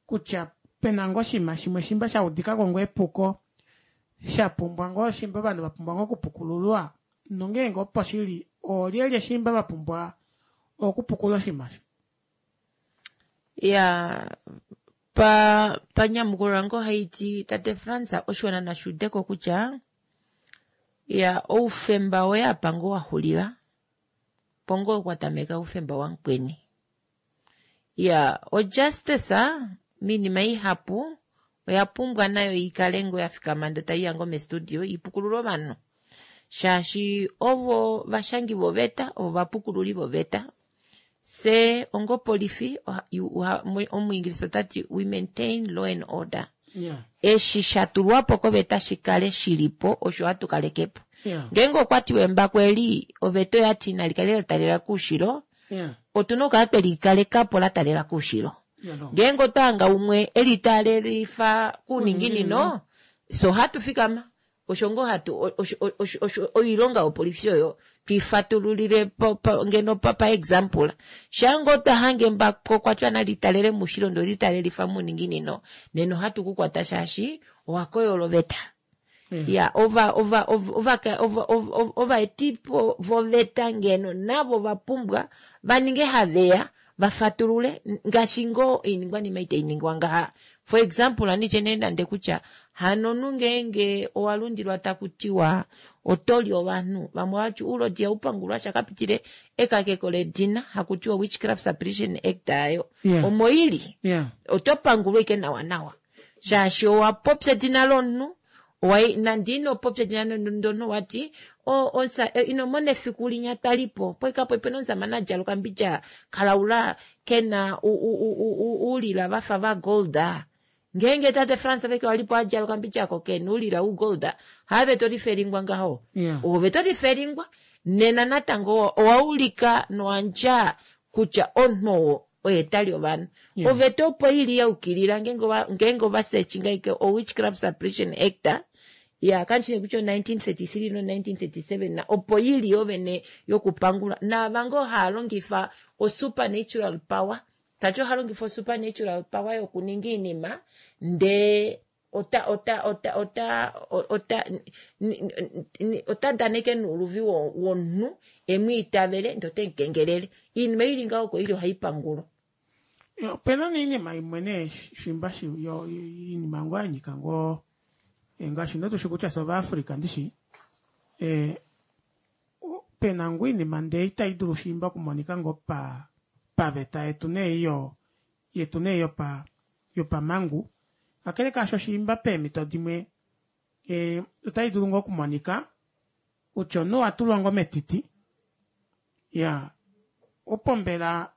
kutya pena ngoo oshinima shimwe shimba sha udikako ngoo epuko shapumbwa ngoo shimba ovanhu vapumbwa ngoo okupukululwa nongeenge opo shili oolyelye shimba vapumbwa okupukula oshinima osho. Ya pa panyamukulo lange ohaiti tate Frans oshiwana nashi udeko kutya ya oufemba woye apa ngoo waxulila po ngoo kwa tameka oufemba wamukweni. Ya ojustice miinima ihapu oya pumbwa nayo ikale ngoo yafikama ndee taiya ngoo mestudio ipukulule ovanhu shaashi ovo vashangi voveta ovo vapukululi voveta se ongopolifi omuingilisa otati we maintain law and order Yeah. eshi shatulwapo koveta shikale shilipo osho hatu kalekepo Yeah. ngeenge okwatiwa embako eli oveta oyati nali kale latalela koushilo Yeah. otuna okukala twelikalekapo latalela koushilo Yeah, no. ngeenge otwahanga umwe elitaalelifa kouninginino so hatu fikama osho ngoo hatu osho, osho, osho oilonga yopolifi oyo twiifatululile pa, pa, ngeno pa, pa example shaa ngoo twahange embako kwatya nalitalele moushilo ndee olitalelifa mouninginino nena ohatu kukwata shaashi owakoyola oveta ya ova ova ova ova ova ova ovaetipo voveta ngeno navo vapumbwa vaninge haveya vafatulule ngaashi ngoo oiningwanima itainingwa ngaha for example anditye nee nande kutya hano omunhu ngeenge owalundilwa takutiwa otoli ovanhu vamwe vati oulodi ihaupangulwa shakapitile ekakeko ledina hakutiwa witchcraft suppression act ayo Yeah. omo ili Yeah. oto pangulwa ike nawa nawa shaashi owapopya edina lomunhu owai nande inopopya edina lomunhu wati inomona efiku linya twalipo poikapo opena omusamane adjala okambidja kalaula kena oulila vafa va gold ngeenge tate Frans veke walipo adjala okambidja ako kena oulila u gold haave tolifelingwa ngaho Yeah. ove tolifelingwa nena natango owaulika nowandja kutya omunhu oo oye tali ovanhu Yeah. oveta opo ili yaukilila ngeenge ovasechinga ike o witchcraft suppression act ya kandishine kutya o 1933 no 1937 na opo ili yovene yokupangula naava ngoo haalongifa o supernatural power tati ohalongifa o supernatural power yokuninga oinima ndee Ota ota ota ota ota ota daneke nuuluvi womunhu emu itavele ndee ote mu kengelele. Iinima ili ngaho oko ili ohai pangulwa. Opena nee iinima imwe nee shimba shi yo iinima ngoo ya nyika ngoo eh, ngaashi nee tushi kutya fye Ovaafrika ndishi eh, pena ngoo iinima ndee itai dulu shimba okumonika ngoo pa paveta yetu nee iyo yetu nee yopa yopamangu kakele kaasho shiimba peemhito dimwe eh, otai dulu ngoo okumonika kutya omunhu owa tulwa ngoo metiti ya opo mbela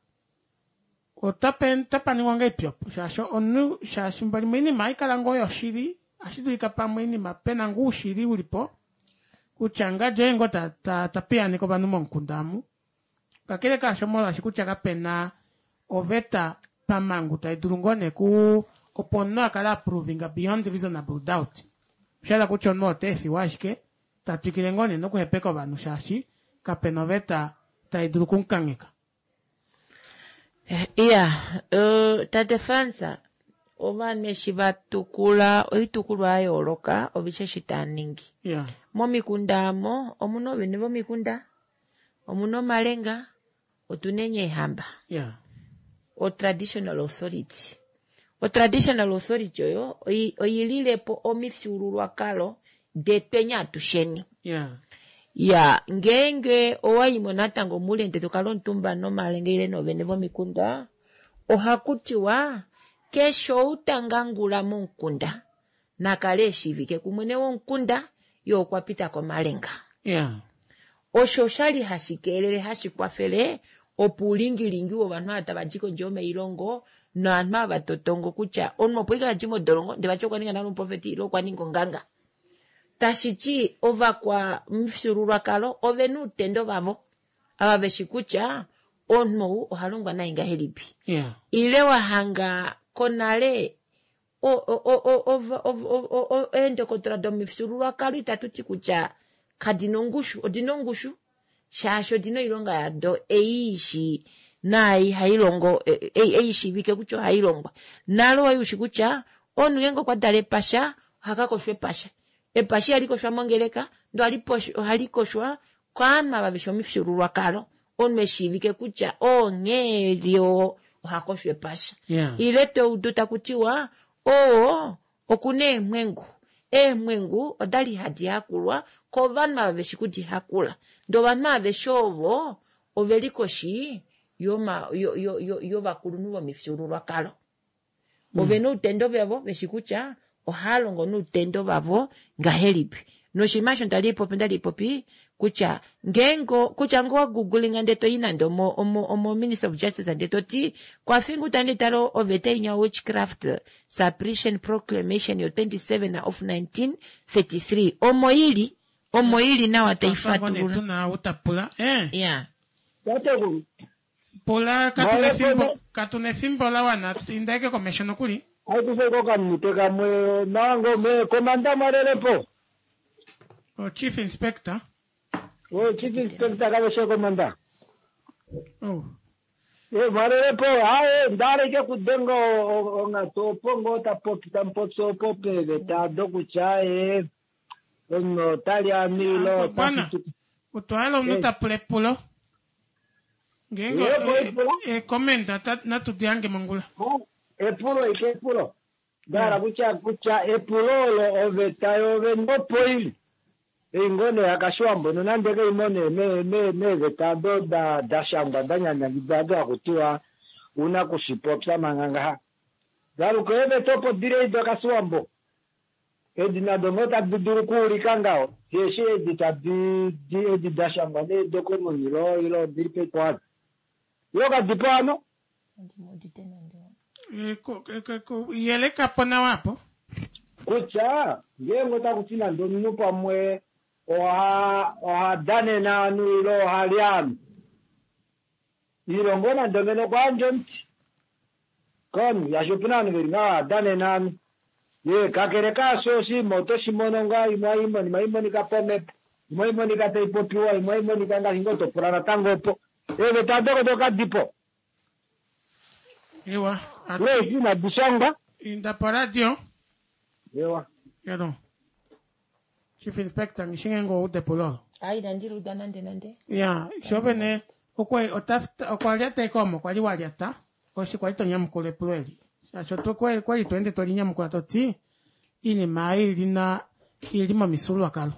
otapa ningwa ngahelipi opo shaashi omunhu shaashi fimbo limwe oinima ohai kala ngoo yoshili ohashi dulika pamwe oinima pena ngoo oushili uli po kutya ngadi oye ngoo ta, ta, ta piyaaneke ovanhu momukunda amu kakele kaasho molwaashi kutya kapena oveta pamangu tai dulu ngoo nee ku opo omunhu a kale a provinga beyond reasonable doubt osha hala kutya omunhu ota efiwa ashike ta twikile ngoo nee nokuhepeka ovanhu shaashi kapena oveta tai dulu okumukangheka. Iya, tate Frans, ovanhu eshi va tukula oitukulwa ya yooloka ovishe eshi taa ningi. Yeah. Momikunda amo omuna oovene vomikunda, omuna omalenga, otuna eehamba. Yeah. O traditional authority. O traditional authority oyo oi lile po omifyuululwakalo detweni atusheni. Yeah. Ya, ngeenge owa i mo natango moule ndele to kala omutumba nomalenga ile noovene vomikunda, ohaku tiwa keshe ou ta ngangula momukunda na kale e shiivike kumwene womukunda, ye okwa pita komalenga. Yeah. Osho osha li hashi keelele hashi kwafele opo uulingilingi wovanhu ava tava di kondje yomailongo novanhu ava totongo kutya omunhu opo ashike a di modolongo ndele vati okwa ninga nale omuprofeti ile okwa ninga onganga. Tashi ti ovakwamufyuululwakalo ove na uutendo vavo ava ve shi kutya omunhu ou oha longwa naye ngahelipi. Yeah. Ile wa hanga konale eendokotola domifyuululwakalo itatu ti kutya kadi na ongushu, odi na ongushu shaashi odi na oilonga yado ei ishi naai hai longo ei ishiivike kutya ohai longwa. Nale owali ushi kutya omunhu ngeenge okwa dala epasha oha ka koshwa epasha. Epasha ihali koshwa mongeleka ndele ohali koshwa kaanhu ava veshi omifyuululwakalo. Omunhu eshiivike kutya oo nghee eli oo oha koshwa epasha. Ile to udu taku tiwa oo okuna eemwengu. Eemwengu odali hadi hakulwa kovanhu ava veshi kudi hakula. Ndee ovanhu aveshe ovo oveli koshi yovakulunhu vomifyuululwakalo. Ovena outendo vavo veshi kutya ohava longo noutendo vavo ngahelipi. Noshinima osho ndali popi ndali popi kutya ngeenge kutya ngee owa googlinga ndee toyi nande omo omo omo Ministry of Justice ndee toti kwafinga utande talo oveta inya witchcraft suppression proclamation yo 27 of 1933 omo ili omo ili nawa tai fatulula. Tuna utapula eh. Yeah. Tatekulu. Pula katu na efimbo, katu na efimbo la wana, inda eke komesho nokuli. Aikufe ko kamunute kamwe nawa ngoo me komanda mwalelepo. O chief inspector. O chief inspector kaveshe komanda. Oh. E mwalelepo aye ndaleke kudenga onghatu opo ngoo ta popi tamupopi opo peeveta dokutya ee omunhu ota li anu ile ota Bwana, utwala omunhu ta pula epulo. Ngeenge e-comment natu di hange mongula. Epulo ike epulo. Nda hala kutya kutya epulo olo oveta yoovene opo ili. Ei ngoo nee yaKashiwambo nonande kai mo nee me me meeveta odo da da shangwa da nyanyangidwa odo haku tiwa u na kushipopya manga ngaha. Daluka eeveta opo dili ei doKashiwambo. Edi nado ngoo tadi dulu okuulika ngaho, osheshi edi tadi di edi da shangwa nee docommon law ile odili pekwato. Ile kadi po hano? Yeleka po nawa apo. Kutya ngeenge otaku ti nande omunhu pamwe oha oha danene ovanhu ile oha li ovanhu, ile ngoo nande ngeno okwa yandja omuti komunhu, shaashi opu na ovanhu ve li ngaho hava danene ovanhu. Ye, kakele kaasho, oshinima oto shi mono ngaa, imwe ohai monika, ohai monika pomhepo, imwe ohai monika tai popiwa, imwe ohai monika ngaashi ngoo to pula natango opo. Eeveta odo odo kadi po. Ewa. Ile eshi inadi shangwa. Inda poradio. Ewa. Yalo. Chief Inspector ngishinge ngoude epulo olo. Ai inandi luda nande nande. Ya, sho vene okwa ota okwa lyata ekomo okwa li wa lyata oshi kwali to nyamukula epulo eli. Shaashi oto kwali kwali to ende to li nyamukula to ti iinima ei ili na ili momifyuululwakalo.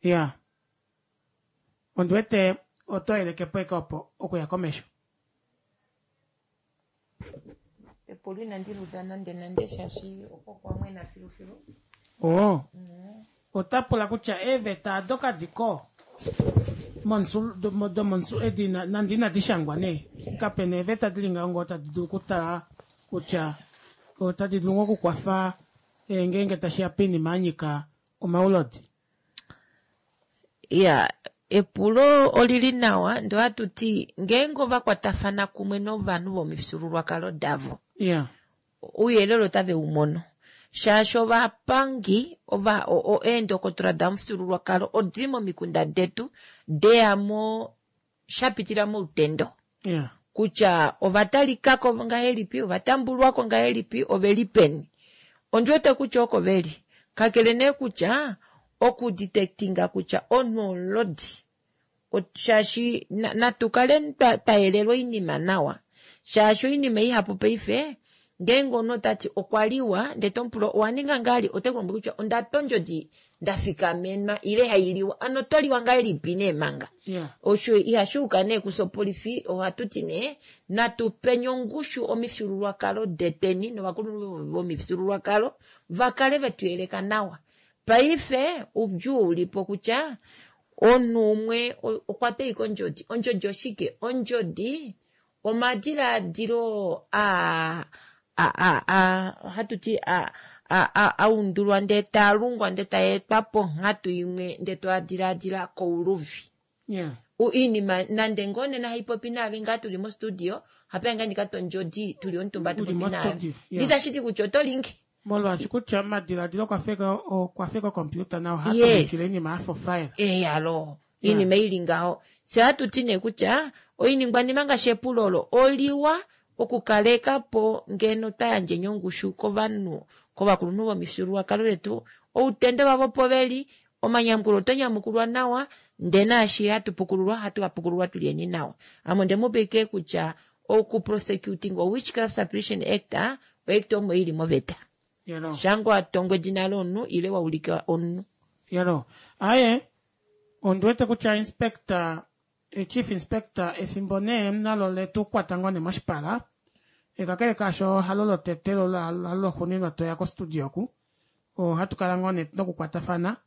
Ya. Ondi wete oto yeleke po eke opo okuya komesho. Epulo inandi luda nande nande shaashi oko kwa mwena filufilu. Oo. Ota pula kutya eeveta ado kadi ko monsul domonsul edi nande inadi shangwa nee kapena eeveta dili ngaho ngoo tadi dulu okutala kutya otadi dulu ngoo okukwafa eh, ngeenge tashiya poinima ya nyika omaulodi. Ya, epulo olili nawa ndee ohatu ti ngeenge ova kwatafana kumwe novanhu vomifyuululwakalo davo Ya. ouyelele otave u mono shaashi ovapangi ova eendokotola damufyuululwakalo odili momikunda detu deyamo shapitila moutendo Ya. kutya ovatalikako ngahelipi ovatambulwako ngahelipi oveli peni ondi wete kutya oko veli kakele nee kutya okudetectinga kutya omunhu omulodi shaashi natu kale twa yelelwa oinima nawa shaashi oinima ihapu paife ngeenge omunhu otati okwa liwa ndee tomupula owa ninga ngahali ote kulombwele kutya onda twa ondjodi ndafikamenwa ile hailiwa ano otwaliwa ngahelipi nee manga Yeah. Osho ihashi uka nee kufye opolifi ohatu ti nee natu peni ongushu omifyuululwakalo detweni novakulunhu vomifyuululwakalo va kale vetu yeleka nawa. Paife oudjuu ulipo kutya omunhu umwe okwa twa ashike ondjodi. Ondjodi oshike? Ondjodi omadilaadilo a ohatu ti a undulwa ndee taalungwa ndee taetwa ponghatu imwe ndee toadilaadila kouluvi. Yeah. Iinima nande ngoo nena haipopi naave ngaa tuli mostudio hapeya ngaa ndikatwa ondjodi tuli omutumba Uli tupopi naave. mostudio, yeah. Nditashiti kutya oto lingi. Molwaashi kutya omadiladilo okwa feka okompiuta nayo Yes. ohatuvikile oinima yafa ofile. Eyalo iinima ili ngaho fye ohatu ti nee kutya oiningwanima ngaashi epulo olo oliwa okukaleka po ngeno twa yandjeni ongushu kovanhu kovakulunhu vomifyuululwakalo letu outendo vavo opo veli omanyamukulo oto nyamukulwa nawa ndee naashi hatu pukululwa hatu kapukululwa tulyeni nawa ame ondemupa ike kutya oku prosecuting o Witchcraft Suppression Act oact omo ili moveta Yelo. shango watongwa edina lomunhu ile waulika omunhu. Yelo. Aye, ondi wete kutya inspector, eh, chief inspector efimbo nee nalo letu kwata ngoo nee moshipala. Kakele kaasho halo lotete lo halo loxuuninwa toya kostudio oku. Ohatu kala ngoo nee nokukwatafana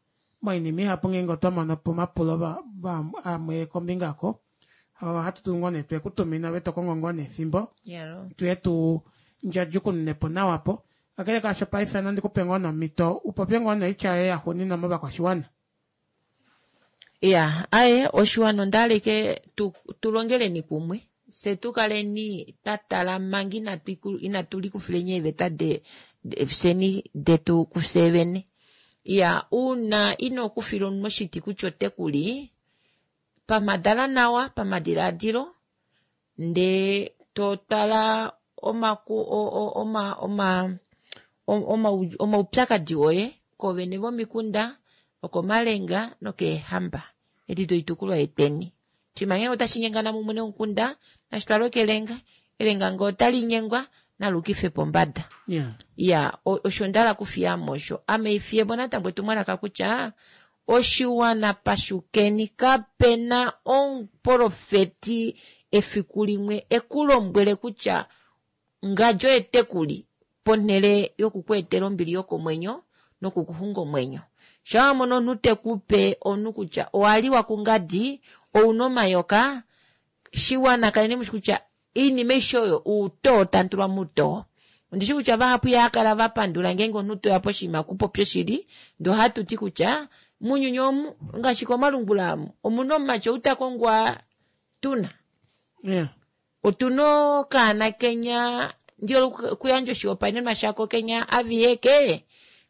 moinima ihapu ngeenge otwa mono po omapulo amwe kombinga oko. Ohatu dulu ngoo nee twe ku tumina ove to kongo ngoo nee efimbo Yelo. tuye tu ndjadjukununepo nawa po. Kakele kaasho paife nandi kupe ngoo nomhito upopye ngoo noitya yoye yaxuuninwa movakwashiwana. Ya, aye oshiwana onda hala ike tu, tulongeleni kumwe fye tukaleni twa tala manga inatu inatu likufileni eeveta de, de fyeni detu kufye vene. Ya, uuna ino kufila omunhu oshiti kutya ote kuli pamadala nawa pamadilaadilo ndee to twala omaku oma oma oma omaupyakadi oye kovene vomikunda nokomalenga nokeehamba edi doitukulwa yetweni. Shima ngenge otashi nyengana mumwe nomukunda nashi twalwe kelenga elenga ngee otali nyengwa nalukife pombada. Yeah. Ya, osho ndahala kufiyamo osho ame ifiyemo natango etumwalaka kutya oshiwana pashukeni kapena omuprofeti efiku limwe ekulombwele kutya ngadjo etekuli ponhele yokukweetela ombili yokomwenyo nokukuxunga omwenyo. Shaa wamono omunhu tekupe omunhu kutya owaliwa kungadi ouna omayoka shiwana kaleni mushi kutya iinima aishe oyo outoo tandulwa moutoo. Ondishi kutya vahapu ihakala vapandula ngeenge omunhu toya poshinima kupopya oshili ndee ohatu ti kutya mounyuni omu ngaashi komalungula amu omuna omumati ou takongwa tuna. Yeah. Otuna okaana kenya ndihole okuyandja oshihopaenenwa shako kenya aviheke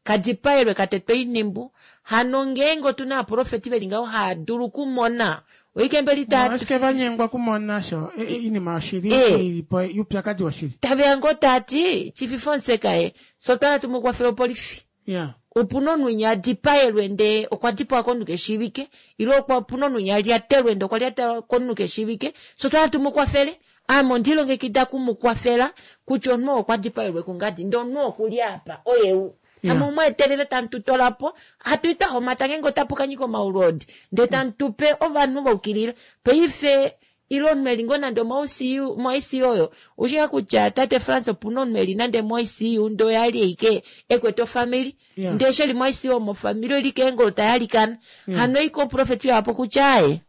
kadipaelwe katetwe oinimbu hano ngeenge otuna ovaprofeti veli ngaho haadulu okumona Oike mbeli ta Omolwashike va nyengwa okumona sho iinima yoshili Eh. ili po yuupyakadhi woshili? Taveya ngoo tati Chief Fonseka ye fye otwa hala tumukwafele opolifi. Yeah. Opuna omunhu winya a dipaelwe ndee okwa dipawa komunhu keshiivike ile okwa opuna omunhu winya a lyatelwe ndee okwa lyatelwa komunhu keshiivike fye otwa hala tumukwafele. Ame onde lilongekida okumukwafela kutya omunhu oo okwa dipaelwe kungadi ndee omunhu oo okuli apa oye u. Tamu mu etelele tamu tu twala po hatu i twa homata ngeenge otapu ka nyika omaulodi ndee tamu tu pe ovanhu va ukilila. Paife ile omunhu eli ngoo nande omo-ICU mo-ICU oyo oushi ngaa kutya tate Frans opuna omunhu eli nande mo-ICU ndee oye ali ashike ekwete ofamili Yeah. ndee eshi eli mo-ICU omo ofamili oili keengolo tayalikana Yeah. hano oike omuprofeti uyapo kutya aaye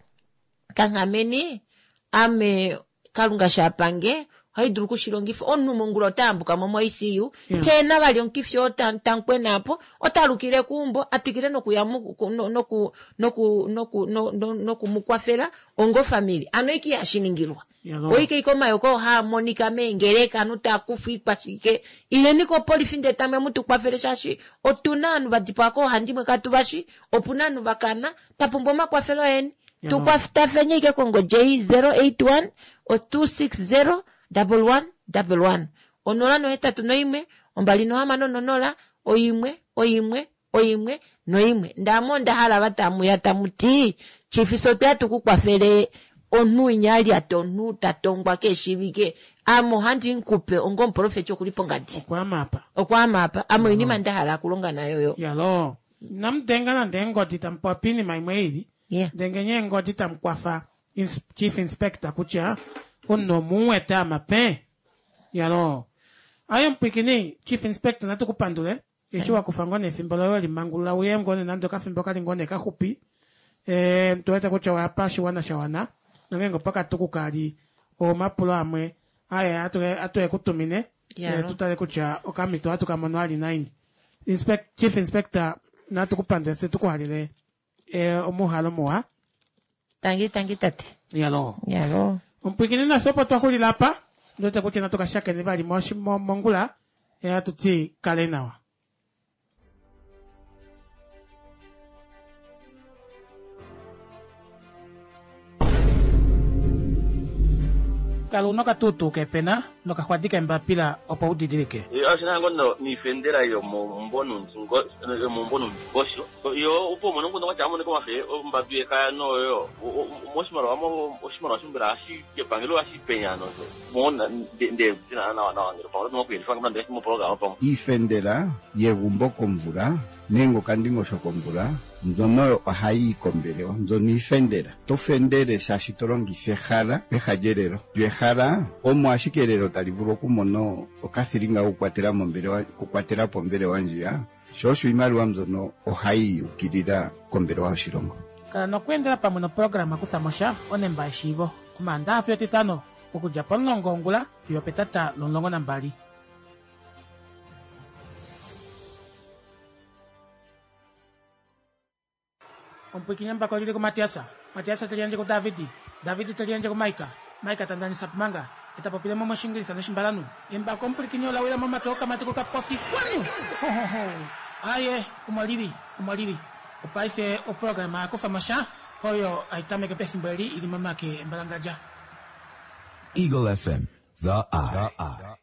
kanghameni ame Kalunga shapange ohai dulu okushilongifa omunhu mongula ota yambuka mo mo-ICU Yeah. kena vali omukifi oo tankwena apo ota alukile keumbo atwikile nokuya noku noku noku noku mumukwafela onga ofamili ano oike ihashiningilwa Yalo. oike ike omayoka oo haa monika meengeleka ovanhu taa kufwa ikwashike ileni kopolifi ndee tamwe mutukwafele shaashi otuna ovanhu vadipawa koohandimwe katu vashi opuna ovanhu vakana twapumbwa omakwafelo eni Yalo. tukwatafenye ike kongodi ei 081 260 1111 081 260 1 1 1 1 ndee ame onda hala vatamuya tamuti chief fye otweya tukukwafele omunhu winya alyata omunhu tatongwa keshiivike ame ohandi mukupe onga omuprofeti okuli pongadi Okwaama apa. okwaama apa ame oinima ndahala okulonga nayo yo Yalo. Inamu denga nande eengodi tamu popi oinima imwe ili. Yeah. Dengeni eengodi tamu kwafa chief inspector kutya omunhu omuwete amape. Yalo. Aye omupwikini chief inspector natu kupandule eshi wakufa ngoo nefimbo loye welimangulula uye ngoo nee nande okafimbo kali ngoo nee kaxupi. Tu wete kutya owapa oshiwana sha wana nongeenge opakatuku kali omapulo amwe aye atu ekutumine Yalo. tutale kutya okamhito ohatu kamono ali naini. Chief inspector natu kupandule fye tukuhalele omuhalo muwa. Tangi tangi tate. Yalo. Yalo. Omupwikini nafye opo twaxulila apa ndiwete kutya natu kashakene vali mongula hatu ti kale nawa. Kala una okatuutuu kepena nokaxwadi kembapila opo udidilike. Oshina ngoo niifendela yomumbo nondingosho yo opo umone nguno kwatya amoneka omafe ombadu yekaya noyo moshimaliwa oshimaliwa shombela hashi epangelo ohashi penya ano mona nde nawa nawa ngele pamwe oto kuyelifa nande moprograma pamwe Iifendela yegumbo komvula nenge okandingosho komvula mbyono ohayi yi kombelewa mbyono iifendela to fendele shaashi to longitha ehala peha lyelelo lyo ehala omo ashike elelo tali vulu okumona okathilinga kokukwatela mombelewa okukwatela po ombelewa ndjiya sho osho iimaliwa mbyono ohayi ukilila kombelewa yoshilongo. Kala nokweendela pamwe noprograma Kuthamosha onemba yeshiivo Omaandaxa fiyo Etitano okudja pomulongo wongula fiyo opetata lomulongo nambali. Omupwikini embako olili kuMatias, Matias te liyandje kuDavid, David te liyandje kuMaika, Maika ta ndanisa Pumanga, e ta popile mo mOshingilisa noshimbalanhu. Embako omupwilikini ola wila momake okamati kokapofi kwanu! Ho, ho, ho! Aaye, omo lili, omo lili. Opaife oprograma ya kufa mo sha oyo hai tameke pefimbo eli ili momake embalangadja. Eagle FM, the eye.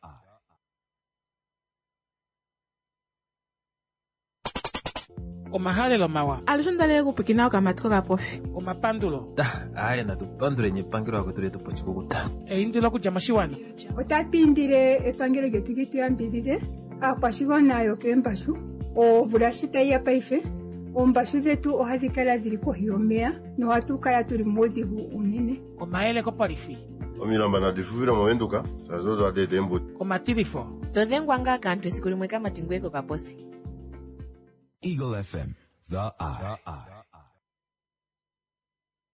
Omahalelo mawa. Alushe ondalele okupwikina okamati kokapofi. Omapandulo. Aye natu panduleni epangelo lakwetu letu pochikukuta. Eindilo okudja moshiwana. Otatu indile epangelo lyetu li tu yambidhidhe aakwashigwana yokeembashu omvula shi tayi ya paife oombashu dhetu ohadhi kala dhili kohi yomeya nohatu kala tuli muudhigu unene. Omayele kopolifi. Omilamba nadi fufile movenduka shaashi odo hadi eta eembuto. Omatilifo. Todhengwa ngaa kaantu esiku limwe kamati ngoye kokaposi. Eagle FM, the eye.